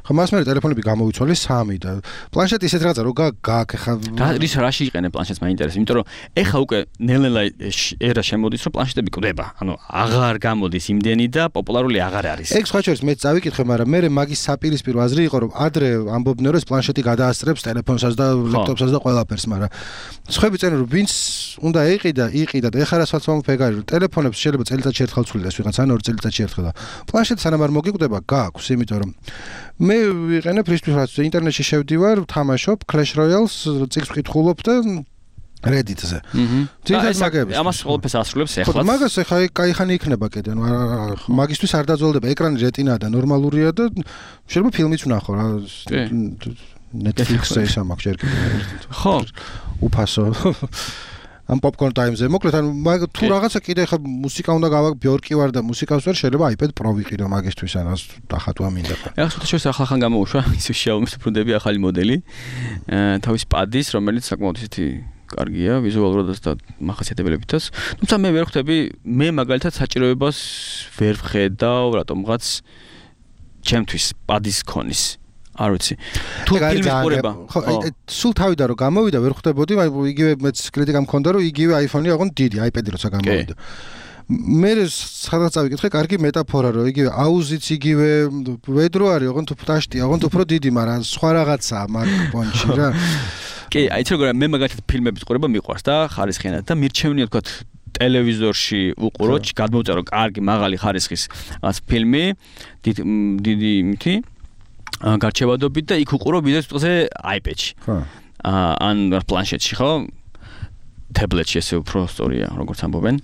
ხა მას მე ტელეფონები გამოვიცვალე 3 და პლანშეტი ისეთ რაღაცა რო გააქ ხა რაში იყენე პლანშეტს მაინტერესებს, იმიტომ რომ ეხა უკვე ნელ-ნელა ერა შემოდის რომ პლანშეტები კვდება, ანუ აღარ გამოდის იმდენი და პოპულარული აღარ არის. ეგ სხვა შორის მე წავიკითხე, მაგრამ მე მაგის საპირისპირო აზრი იყო რომ ადრე ამბობდნენ რომ ეს პლანშეტი გადაასწრებს ტელეფონსაც და ლეპტოპსაც და ყველაფერს, მაგრამ სხვები წერენ რომ ვინც უნდა იყიდა და ეხლა რასაც მომფეგარი რომ ტელეფონებს შეიძლება წელიწადში ერთხელ ცვლიდეს ვიღაც ან 2 წელიწადში ერთხელ და პლანშეტი სანამ არ მოგიკვდება გააქვს, იმიტომ რომ მე ვიყენებ ფრის რაც ინტერნეტში შევდივარ, ვთამაშობ Clash Royale-ს, წიგნს ვკითხულობ და Reddit-ზე. თვითონ მაგებს. ამას ყველაფერს ასრულებს ეხლა. ხო, მაგას ეხლა კაი ხანი იქნება კიდე, ნუ მაგისთვის არ დაძველდება, ეკრანი Retina და ნორმალურია და შეიძლება ფილმიც ვნახო რა. Netflix-ზე ის ამაქვს ჯერ კიდე. ხო, უფასო. ამ Popcorn Time-ზე. მოკლედ, ანუ თუ რაღაცა კიდე ხა მუსიკა უნდა ბიორკი ვარ და მუსიკას ვერ შეიძლება iPad Pro ვიყიდო მაგისთვის, ანუ დახატვა მინდა. ეხლა შუთ ახალ გამოუშვა ის Xiaomi-ს უბრუნდები ახალი მოდელი. თავის პადის, რომელიც საკმაოდ ისეთი კარგია ვიზუალურადაც და მახასიათებლებითაც. თუმცა მე ვერ ხვდები, მე მაგალითად საჭიროებას ვერ ვხედავ რატომღაც ჩემთვის პადის ქონის. არ ვიცი. თუ ფილმის ყურება. ხო, სულ თავიდან რომ გამოვიდა ვერ ხვდებოდი, იგივე მეც კრიტიკა მქონდა რომ იგივე iPhone-ი აღონ დიდი iPad-ი როცა გამოვიდა. მე სადღაც წავიკითხე, კარგი მეტაფორა რომ იგივე აუზიც იგივე ვედრო არის, აღონ თუ პტაშტი, აღონ თუ უფრო დიდი, მაგრამ სხვა რაღაცაა MacBook-ში რა. კი, აი ეს როგორია მე მაგალითად ფილმების ყურება მიყვარს და ხარისხიანად და მირჩევნია თქვა ტელევიზორში უყურო, გადმოვწერო კარგი მაღალი ხარისხის რაღაც ფილმი, დიდი იმითი გარჩევადობით და იქ უყურო ვიდეოს ტყზე iPad-ში. ხო. ან პლანშეტში, ხო? ტაბლეტში ესე უფრო სწორია, როგორც ამბობენ.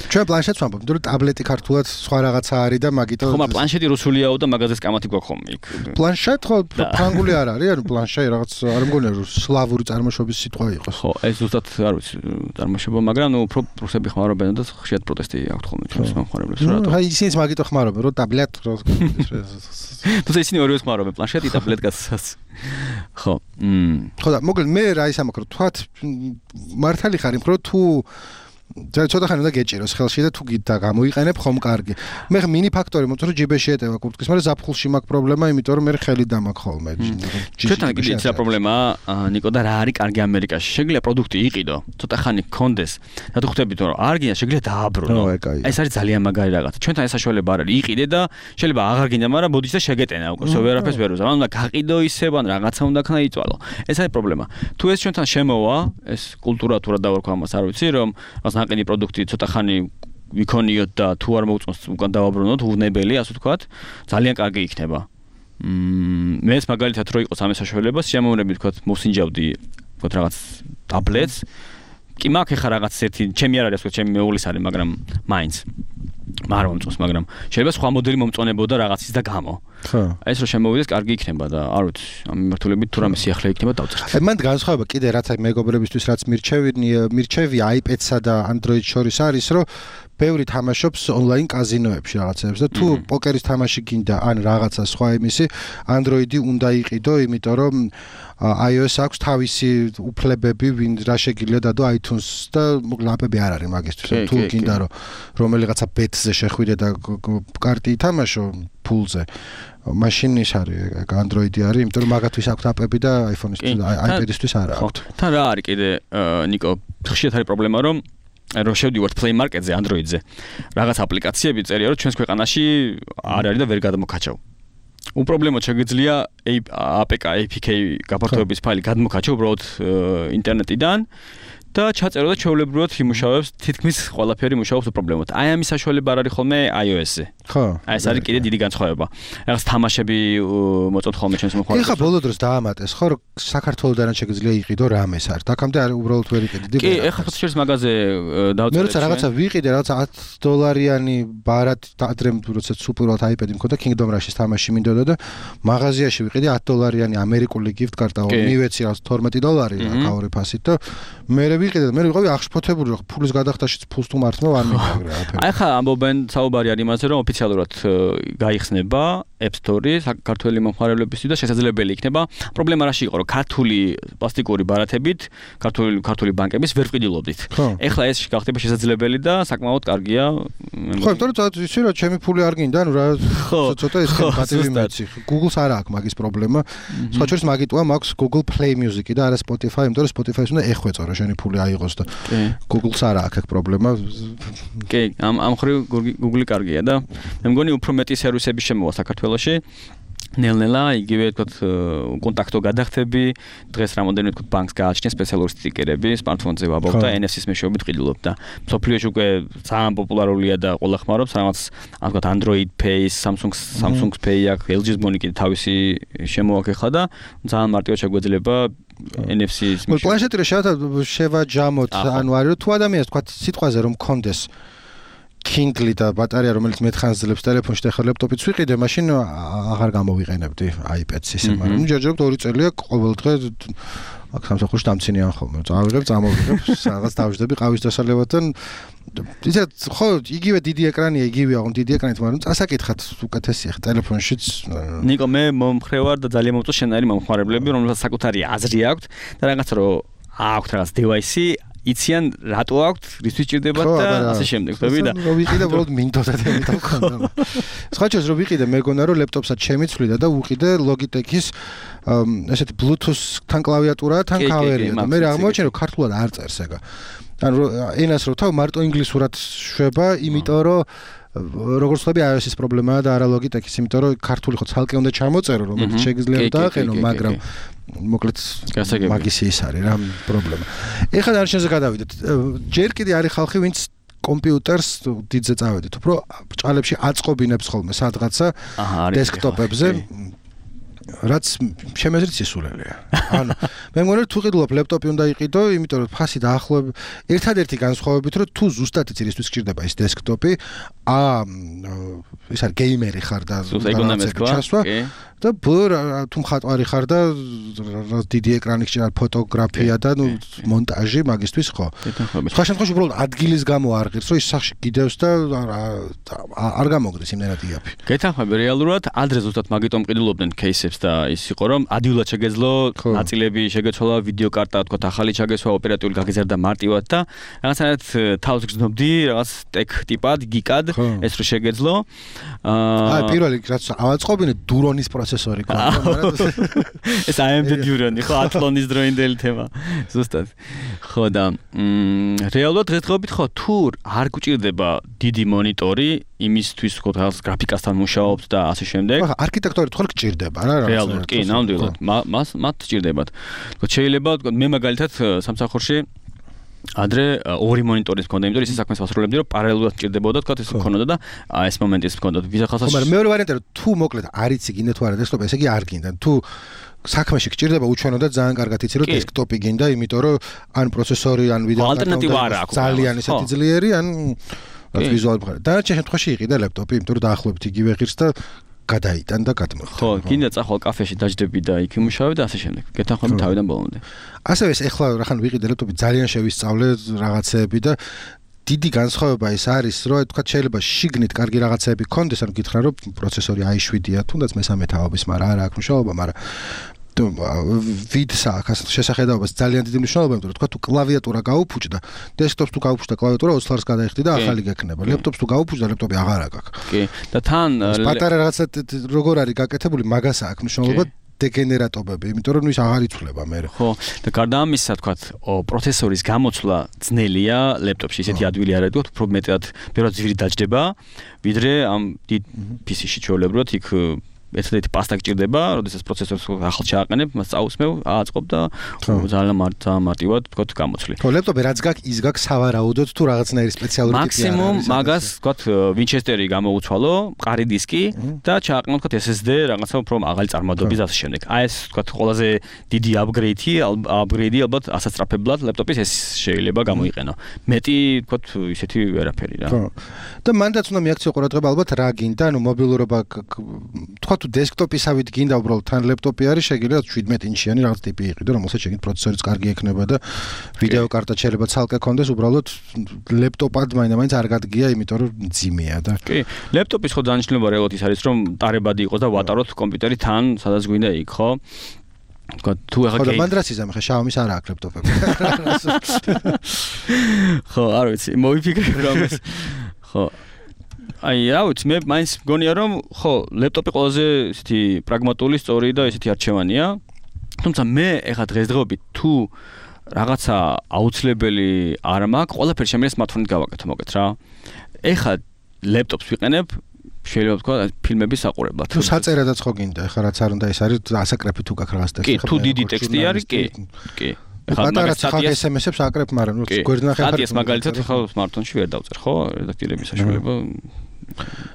ჩვენ პლანშეტს ვამბობ, იმიტომ რომ ტაბლეტი ქართულად სხვა რაღაცა არის და მაგითო ხო, მაგრამ პლანშეტი რუსულიაო და მაგაზეც კამათი გვაქვს ხოლმე იქ. პლანშეტ ხო ფრანგული არ არის, ანუ პლანშე რაღაც არ მგონია რომ სლავური წარმოშობის სიტყვა იყოს. ხო, ეს ზუსტად არ ვიცი წარმოშობა, მაგრამ ნუ უფრო რუსები ხმარობენ და ხშირად პროტესტი აქვს ხოლმე ჩვენს მომხმარებლებს რატო. აი ისინიც მაგითო ხმარობენ, რომ ტაბლეტ თუმცა ისინი ორივე ხმარობენ პლანშეტი და ტაბლეტს. ხო. ხო და მოკლედ მე რა ის ამაკრო, თქვათ მართალი ხარ იმ რომ თუ ცოტა ხანი უნდა გეჭიროს ხელში და თუ გიდა გამოიყენებ ხომ კარგი. მე მინი ფაქტორი მოწრო ჯიბეში ეტევა კურთკის, მაგრამ ზაფხულში მაქვს პრობლემა, იმიტომ რომ მე ხელი დამაქვს ხოლმე. ჩვენთან კიდე ის პრობლემაა, ნიკო და რა არის კარგი ამერიკაში? შეგვიძლია პროდუქტი იყიდო, ცოტა ხანი გქონდეს. და თუ ხვდებით რომ არ გინდა, შეგვიძლია დააბრუნო. ეს არის ძალიან მაგარი რაღაცა. ჩვენთან ეს საშუალება არ არის. იყიდე და შეიძლება აღარ გინდა, მაგრამ ბოდიშ და შეგეტენა უკვე. ვერაფერს ვერ უზამ. უნდა გაყიდო ისევ ან რაღაცა უნდა ქნა იწვალო. ეს არის პრობლემა. თუ ეს ჩვენთან შემოვა, ეს კულტურა თუ რა დავარქვა ამას არ ვიცი, რომ რაღაც ნაყინი პროდუქტი ცოტა ხანი ვიქონიოთ და თუ არ მოუწონს უკან დავაბრუნოთ, უვნებელი, ასე ვთქვათ, ძალიან კარგი იქნება. მეც მაგალითად რო იყოს ამის საშუალება, შემოვნები ვთქვათ, მოსინჯავდი ვთქვათ რაღაც ტაბლეტს. კი მაქვს ხა რაღაც ერთი, ჩემი არ არის, ვთქვათ, ჩემი მეუღლის არის, მაგრამ მაინც არ მომწონს, მაგრამ შეიძლება სხვა მოდელი მომწონებოდა რაღაცის და გამო. ხო. ეს რო შემოვიდეს, კარგი იქნება და არ ვიცი, ამ მიმართულებით თუ რამე სიახლე იქნება დავწერთ. მან განსხვავება კიდე რაც აი მეგობრებისთვის რაც მირჩევი iPad-სა და Android შორის არის, რომ ბევრი თამაშობს ონლაინ კაზინოებში რაღაცებს და თუ პოკერის თამაში გინდა ან რაღაცა სხვა იმისი, Android-ი უნდა იყიდო, იმიტომ რომ iOS აქვს თავისი უფლებები, ვინ რა შეგიძლია დადო iTunes და ლაპები არ არის მაგისთვის. თუ გინდა რომ რომელიღაცა bet-ზე შეხვიდე და კარტი ითამაშო ფულზე, მაშინ ის არის Android-ი არის, იმიტომ რომ მაგათვის აქვს აპები და iPhone-ისთვის, iPad-ისთვის არა აქვს. თან რა არის კიდე ნიკო, ხშირად არის პრობლემა რომ შევდივართ Play Market-ზე, Android-ზე. რაღაც აპლიკაციები წერია რომ ჩვენს ქვეყანაში არ არის და ვერ გადმოგაჩავ. უპრობლემოდ შეგვიძლია APK გაფართოების ფაილი გადმოგაჩო უბრალოდ ინტერნეტიდან და ჩაწერო და ჩვეულებრივად იმუშავებს, თითქმის ყველაფერი იმუშავებს უპრობლემოდ. აი ამის საშუალება არ არის ხოლმე iOS-ზე. ხო. აი ეს არის კიდე დიდი განსხვავება. რაღაც თამაშები მოწონთ ხოლმე ჩვენს მოხმარებელს. ეხლა ბოლო დროს დაამატეს, ხო, რომ საქართველოსდან შეგვიძლია იყიდო რამეს არის. აქამდე არ უბრალოდ ვერ იყიდი. კი, ეხლა ფოთოშერის მაგაზე დავწერე. მე როცა რაღაცა ვიყიდე, რაღაცა $10 ბარად ადრე როცა უპირველად iPad-ი მქონდა Kingdom Rush-ის თამაში მინდოდა და მაღაზიაში ვიყიდე $10 ამერიკული gift card-ა, მივეცი რაღაც $12 აკაური ფასით და მე ვიყიდე და მე ვიყავი აღშფოთებული, რომ ფულის გადახდაშიც ფულს თუ მართმა არ მიგაგრა აფერი. აი ხა ამბობენ საუბარი არის იმაზე, რომ ოფიციალურად გაიხსნება App Store-ი საქართველოს მომხმარებლებისთვის და შესაძლებელი იქნება. პრობლემა რაში იყო, რომ ქართული პლასტიკური ბარათებით ქართული ბანკების ვერ ვყიდულობდით. ეხლა ეს გახდება შესაძლებელი და საკმაოდ კარგია. ხო, იმიტომ რომ ისე რა ჩემი ფული არ გინდა, ნუ რა ცოტა ეს პატივი მეცი. Google-ს არ აქვს მაგის პრობლემა. სხვა შორის მაგიტოა მაქვს Google Play Music-ი და არა Spotify, იმიტომ რომ Spotify-ს უნდა ეხვეწო რა შენი ფული აიღოს და Google-ს არ აქვს აქ პრობლემა. კი, ამ ხრივ Google-ი კარგია და მე მგონი უფრო მეტი სერვისები შემოვა საქართველოში. ნელ-ნელა იგივე თქვათ კონტაქტო გადახდები, დღეს რამოდენიმე თქვათ ბანკს გააჩნია სპეციალური სტიკერები, smartphone-ზე ვაბობ და NFC-ის მეშვეობით ყიდულობ და მსოფლიოში უკვე ძალიან პოპულარულია და ყველა ხმარობს რაღაც ასე ვთქვათ Android Pay, Samsung Pay აქვს, LG-ს მონი კიდე თავისი შემოაქვს ახლა და ძალიან მარტივად შეგვეძლება NFC-ის მეშვეობით. პლანშეტი რა შევაჯამოთ, ანუ არის რომ თუ ადამიანს თქვათ სიტყვაზე რომ მქონდეს Kindle და ბატარეა რომელიც მეთხანს ძლებს ტელეფონში და ახლა ლეპტოპიც ვიყიდე, მაშინ აღარ გამოვიყენებდი iPad-ს ისე, მაგრამ ჯერჯერობით 2 წელია ყოველ დღე აქ სამსახურში დამცინიან ხოლმე. წავიღებ, წამოვიღებ, რაღაც დავждები ყავის დასალევად ისე ხო, იგივე დიდი ეკრანია, იგივეა, დიდი ეკრანით, მაგრამ წასაკითხად უკეთესია ხა ტელეფონშიც. ნიკო, მე მომხრევარ და ძალიან მომწონს შენაირი მომხმარებლები, რომელსაც საკუთარი აზრი აქვს და რაღაცა რომ აქვს რაღაც device-ი იციან რატო აქვთ, რისთვის ჭირდებათ და ასე შემდეგ, ხვდები და რომ ვიყიდე უბრალოდ მინდოდა და ამიტომ ხონდა. სხვა შეს რომ ვიყიდე, მეგონა რომ ლეპტოპსაც შემიცვლიდა და უყიდე Logitech-ის ესეთი Bluetooth-თან კლავიატურა, თან კავერია და მე აღმოაჩინე რომ ქართულად არ წერს ეგა. ანუ ენას რო თავ მარტო ინგლისურად შვება, იმიტომ რომ როგორც ხვდები iOS-ის პრობლემაა და არა Logitech-ის, იმიტომ რომ ქართული ხო ცალკე უნდა ჩამოწერო, რომელიც შეგიძლია დააყენო, მაგრამ მოკლედ მაგის ის არის რა პრობლემა. ეხლა დარჩენზე გადავიდეთ. ჯერ კიდე არის ხალხი, ვინც კომპიუტერს დიდზე წავედით, უფრო ჭალებში აწყობინებს ხოლმე სადღაცა დესკტოპებზე. რაც შემეძრით სისულელეა. ანუ მე მგონი თუ ყიდულობ ლეპტოპი უნდა იყიდო, იმიტომ რომ ფასი დაახლოებით ერთადერთი განსხვავებით რომ თუ ზუსტად იცირისთვის გჭირდება ის დესკტოპი, ის არის გეიმერი ხარ და ჩასვა და თუ მხატვარი ხარ და დიდი ეკრანი გჭირდა ფოტოგრაფია და მონტაჟი მაგისთვის ხო. სხვა შემთხვევაში უბრალოდ ადგილის გამო არ ღირს, რომ ის სახში გიდევს და არ გამოგდეს იმდენად იაფი. გეთანხმები რეალურად ადრე ზუსტად მაგიტომ ყიდულობდნენ кейსებს და ის იყო რომ ადვილად შეგეძლო ნაწილები შეგეცვალა ვიდეო კარტა თქვა ახალი ჩაგესვა ოპერატიული გაგიზარდა მარტივად და რაღაცნაირად თავს გრძნობდი რაღაც ტექ ტიპად გიკად ეს რო შეგეძლო პირველი რაც ავაწყობინე დურონის პროცესორი ქონდა ეს AMD დურონი ხო ატლონის დროინდელი თემა ზუსტად ხო და რეალურად დღესდღეობით ხო თუ არ გვჭირდება დიდი მონიტორი იმისთვის ხო რაღაც გრაფიკასთან მუშაობთ და ასე შემდეგ ხო არქიტექტორი თქო გჭირდება რა რეალურად კი ნამდვილად მათ გჭირდებათ თქო შეიძლება მე მაგალითად სამსახურში ადრე ორი მონიტორის მქონდა, იმიტომ რომ ისე საქმეს ვასრულებდი, რომ პარალელურად ჭირდებოდა, თქვა ეს მქონოდა და ეს მომენტიც მქონდა. ვიზა ხალხს მაგრამ მეორე ვარიანტია რომ თუ მოკლედ არ იცი გინდა თუ არა დესკტოპი, ესე იგი არ გინდა. თუ საქმეში გჭირდება უჩვენო და ძალიან კარგად იცი რომ დესკტოპი გინდა, იმიტომ რომ ან პროცესორი, ან ვიდეო კარტა ძალიან ისეთი ძლიერი, ან ვიზუალური მხარე. დანარჩენ შემთხვევაში იყიდა ლეპტოპი, იმიტომ რომ დაახლოებით იგივე ღირს და გადაიტან და გადმოხდა. ხო, გინდა წახვალ კაფეში დაждები და იქ იმუშავე და ასე შემდეგ. გეთანხმები თავიდან ბოლომდე. ასევე ეს ეხლა რახან ვიყიდე ლეპტოპი ძალიან შევისწავლე რაღაცეები და დიდი განსხვავება ის არის, რომ თქვა შეიძლება შიგნით კარგი რაღაცეები გქონდეს, ანუ გითხრა რომ პროცესორი i7-ია, თუნდაც მესამე თაობის, მაგრამ არა აქვს მშობლობა, მაგრამ ვიდს აქვს შესახედაობას ძალიან დიდი მნიშვნელობა, იმიტომ რომ თქვა თუ კლავიატურა გაუფუჭდა, დესკტოპს თუ გაუფუჭდა კლავიატურა 20 ლარს გადაიხდი და ახალი გექნება. ლეპტოპს თუ გაუფუჭდა, ლეპტოპი აღარ აქვს. კი, და თან პატარა რაღაცა როგორ არის გაკეთებული, მაგას აქვს მნიშვნელობა დეგენერატობები, იმიტომ რომ ის აღარ იცვლება მე. ხო, და გარდა ამისა, თქვა, პროცესორის გამოცვლა ძნელია ლეპტოპში, ისეთი ადვილი არ არის, უფრო მეტად ბევრად ძვირი დაჯდება, ვიდრე ამ დიდ PC-ში ჩვეულებრივად იქ ესეთი პასტა გჭირდება, როდესაც პროცესორს ახალ ჩააყენებ, მას წაусმევ, ააწყობ და ძალიან მარტივად თქვა გამოცვლი. ხო, ლეპტოპი რაც გაქვს, ის გაქვს სავარაუდოდ თუ რაღაცნაირი სპეციალური ტიპი არის. მაქსიმუმ მაგას თქვა ვინჩესტერი გამოუცვალო, მყარი დისკი და ჩააყენო თქვა SSD რაღაცა უფრო მაღალი წარმოადობის ასე შემდეგ. აი ეს თქვა ყველაზე დიდი აპგრეიდი ალბათ ასასწრაფებლად ლეპტოპის ეს შეიძლება გამოიყენო. მეტი თქვა ისეთი ვერაფერი რა. ხო. და მანდაც უნდა მიაქციო ყურადღება ალბათ რა გინდა, ანუ მობილურობა თქვა თუ დესკტოპისავით გინდა უბრალოდ თან ლეპტოპი არის, შეგიძლია 17 ინჩიანი რაღაც ტიპი იყიდო, რომელსაც შეგიძლია პროცესორიც კარგი ექნება და ვიდეო კარტა შეიძლება ცალკე კონდეს, უბრალოდ ლეპტოპად მაინც არ გადგია, იმიტომ რომ მძიმეა და კი, ლეპტოპის ხო დანიშნულება რეალურად ის არის, რომ ტარებადი იყოს და ვატაროთ კომპიუტერი თან, სადაც გვინდა იქ, ხო? თქვა თუ ახლა ხო და მანდრაციზამ ხა Xiaomi-ს არ აქვს ლეპტოპები. ხო, არ ვიცი, მოვიფიქრე რომ ეს ხო აი, რა ვიცი, მე მაინც მგონია რომ ხო, ლეპტოპი ყველაზე ისეთი პრაგმატული, სწორი და ისეთი არჩევანია. თუმცა მე ეხლა დღესდღეობით თუ რაღაცა აუცილებელი არ მაქვს, ყველაფერი შემიძლია smartphone-ით გავაკეთო მოგეთ რა. ეხლა ლეპტოპს ვიყენებ, შეიძლება თქვა ფილმების საყურებლად. თუ საწერადაც ხო გინდა, ეხლა რაც არ უნდა ის არის ასაკრეფი თუ გაქვს რაღაც ტექსტი. კი, თუ დიდი ტექსტი არის, კი. კი. ეხლა მაგას ხალხ SMS-ებს აკრებ, მაგრამ ნუ გვერდნახე ხარ. სტატიას მაგალითად ხო smartphone-ში ვერ დავწერ, ხო? რედაქტირების საშუალება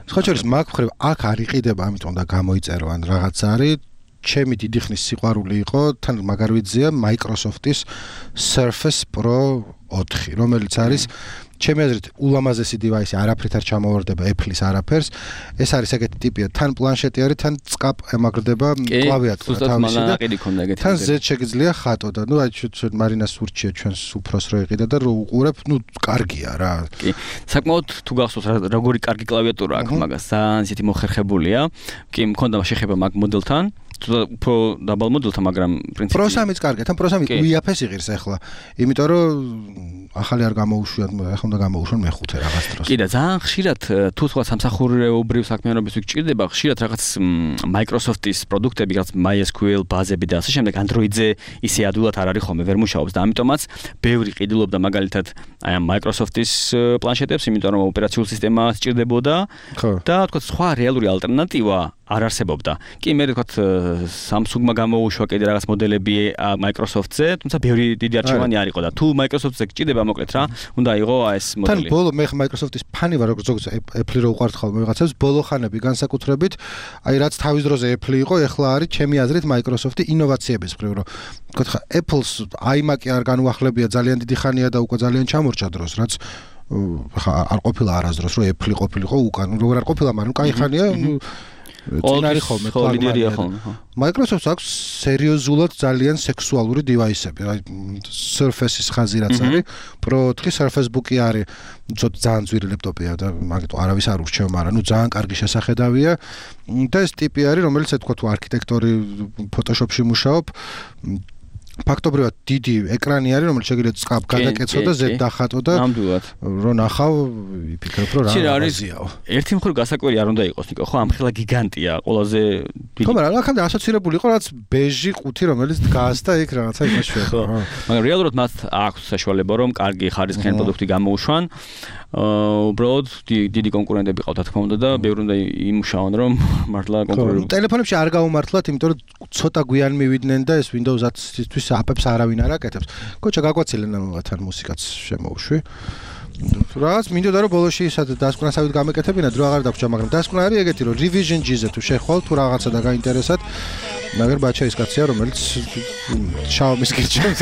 სხვა შორის მაგ მხრივ აქ არ იყიდება, ამიტომ და გამოიწერო ან რაღაც არის. ჩემი დიდი ხნის სიყვარული იყო, თან მაგარ ვიძია Microsoft-ის Surface Pro 4, რომელიც არის ჩემი აზრით ულამაზესი დივაისი, არაფრით არ ჩამოვარდება Apple-ის არაფერს. ეს არის ეგეთი ტიპია, თან პლანშეტი არის, თან წკაპ ემაგრდება კლავიატურა თავისი და თან ზედ შეგიძლია ხატო და ნუ აი მარინას ურჩია ჩვენს უფროს რო იყიდა და რო უყურებ, ნუ კარგია რა. კი. საკმაოდ თუ გახსოვს როგორი კარგი კლავიატურა აქვს მაგას, ძალიან ისეთი მოხერხებულია. კი, მქონდა შეხება მაგ მოდელთან. უფრო დაბალ მოდელთან, მაგრამ პრინციპი Pro 3-იც კარგია, თან Pro 3 უიაფეს იღირს ახლა. იმიტომ რომ ახალი არ გამოუშვიათ, ახლა უნდა გამოუშვან მეხუთე რაღაც დროს. კი და ძალიან ხშირად თუ სხვა სამსახურეობრივ საქმიანობის გჭირდება, ხშირად რაღაც Microsoft-ის პროდუქტები, რაღაც MySQL ბაზები და ასე შემდეგ Android-ზე ისე ადვილად არ არის ხოლმე, ვერ მუშაობს და ამიტომაც ბევრი ყიდულობდა მაგალითად აი ამ Microsoft-ის პლანშეტებს, იმიტომ რომ ოპერაციული სისტემა სჭირდებოდა და თქვა სხვა რეალური ალტერნატივა არ არსებობდა. კი, მე თქვა Samsung-მა გამოუშვა კიდე რაღაც მოდელები Microsoft-ზე, თუმცა ბევრი დიდი არჩევანი არ იყო და თუ Microsoft-ზე გჭირდება მოკლედ რა, უნდა იყო ეს მოდელი. თან ბოლო მე Microsoft-ის ფანი ვარ, როგორც Apple-ი რო უყვართ ხოლმე ვიღაცებს, ბოლო ხანები განსაკუთრებით, აი რაც თავის დროზე Apple იყო, ეხლა არის ჩემი აზრით Microsoft-ი ინოვაციების მხრივ, რომ თქვა Apple-ს iMac-ი არ განუახლებია ძალიან დიდი ხანია და უკვე ძალიან ჩამორჩა დროს, რაც არ ყოფილა არასდროს, რომ Apple ყოფილიყო უკან, როგორ არ ყოფილა, მაგრამ კაი ხანია წინარი ხოლმე ლიდერია ხოლმე. Microsoft-ს აქვს სერიოზულად ძალიან სექსუალური დივაისები. აი Surface-ის ხაზი რაც არის, Pro 4 Surface Book-ი არის, ძალიან ძვირი ლეპტოპია და მაგიტო არავის არ ურჩევ, მაგრამ ნუ ძალიან კარგი შესახედავია. და ეს ტიპი არის, რომელიც თქვა თუ არქიტექტორი Photoshop-ში მუშაობ, ფაქტობრივად დიდი ეკრანი არის, რომელიც შეგიძლიათ წყაბ გადაკეცო და ზედ დახატო და რო ნახავ, ვიფიქრებ, რომ რა არის. ერთი მხრივ გასაკვირი არ უნდა იყოს, ნიკო, ხო, ამ ხელა გიგანტია, ყველაზე დიდი. ხო, მაგრამ აქამდე ასოცირებული იყო რაც ბეჟი ყუთი, რომელიც დგას და იქ რაღაცა იმაშია. ხო. მაგრამ რეალურად მათ აქვს საშუალება, რომ კარგი ხარისხიანი პროდუქტი გამოუშვან. უბრალოდ დიდი კონკურენტები ყავთ, რა თქმა უნდა და ბევრი უნდა იმუშაონ, რომ მართლა კონკურენტები. ტელეფონებში არ გაუმართლათ, იმიტომ რომ ცოტა გვიან მივიდნენ და ეს Windows 10-ისთვის აპებს არავინ არ აკეთებს. კოჩა გაგვაცილენ ამათან მუსიკაც შემოუშვი. რაც მინდოდა რომ ბოლოში ისად დასკვნასავით გამეკეთებინათ, რო აღარ დაგვრჩა, მაგრამ დასკვნა არის ეგეთი, რომ Revision G-ზე თუ შეხვალ თუ რაღაცა და გაინტერესათ, მაგრამ ბაჩა ის კაცია, რომელიც Xiaomi-ს გირჩევს.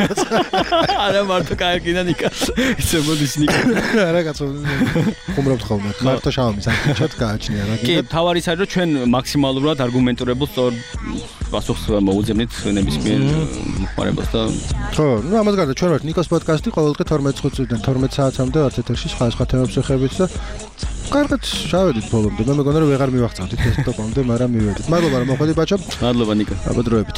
არა მარტო კაიგინა ნიკა. ისე მოდის ნიკა. არა კაცო. ხუმრობთ ხოლმე. მარტო Xiaomi-ს აკეთებთ გააჩნია რა. კი, თავარი ის არის, რომ ჩვენ მაქსიმალურად არგუმენტირებულ სწორ პასუხს მოუძებნით ნებისმიერ მოხმარებას და ხო, ნუ ამას გარდა ჩვენ ვართ Nikos podcast-ი ყოველდღე 12 წუთიდან 12 საათამდე ვართ ეთერში სხვა თემებს შეხებით და კარგად შევედით ბოლომდე. მე მეგონა რომ ვეღარ მივახცავდით ეს ტოპამდე, მაგრამ მივედით. მადლობა რომ მოხვედი ბაჭო. მადლობა ნიკა. აბა დროებით.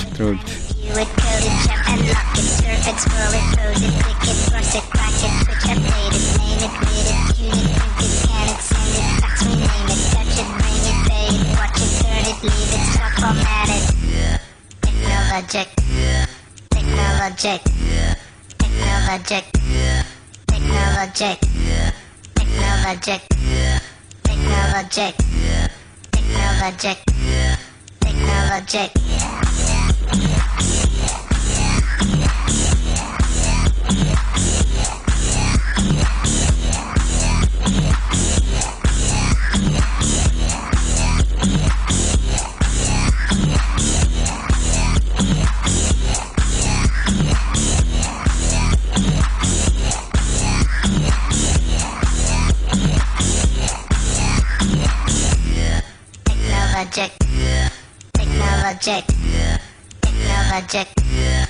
Technologic, technologic, technologic, technologic, technologic, technologic, technologic, technologic. Technologic, technologic, technologic.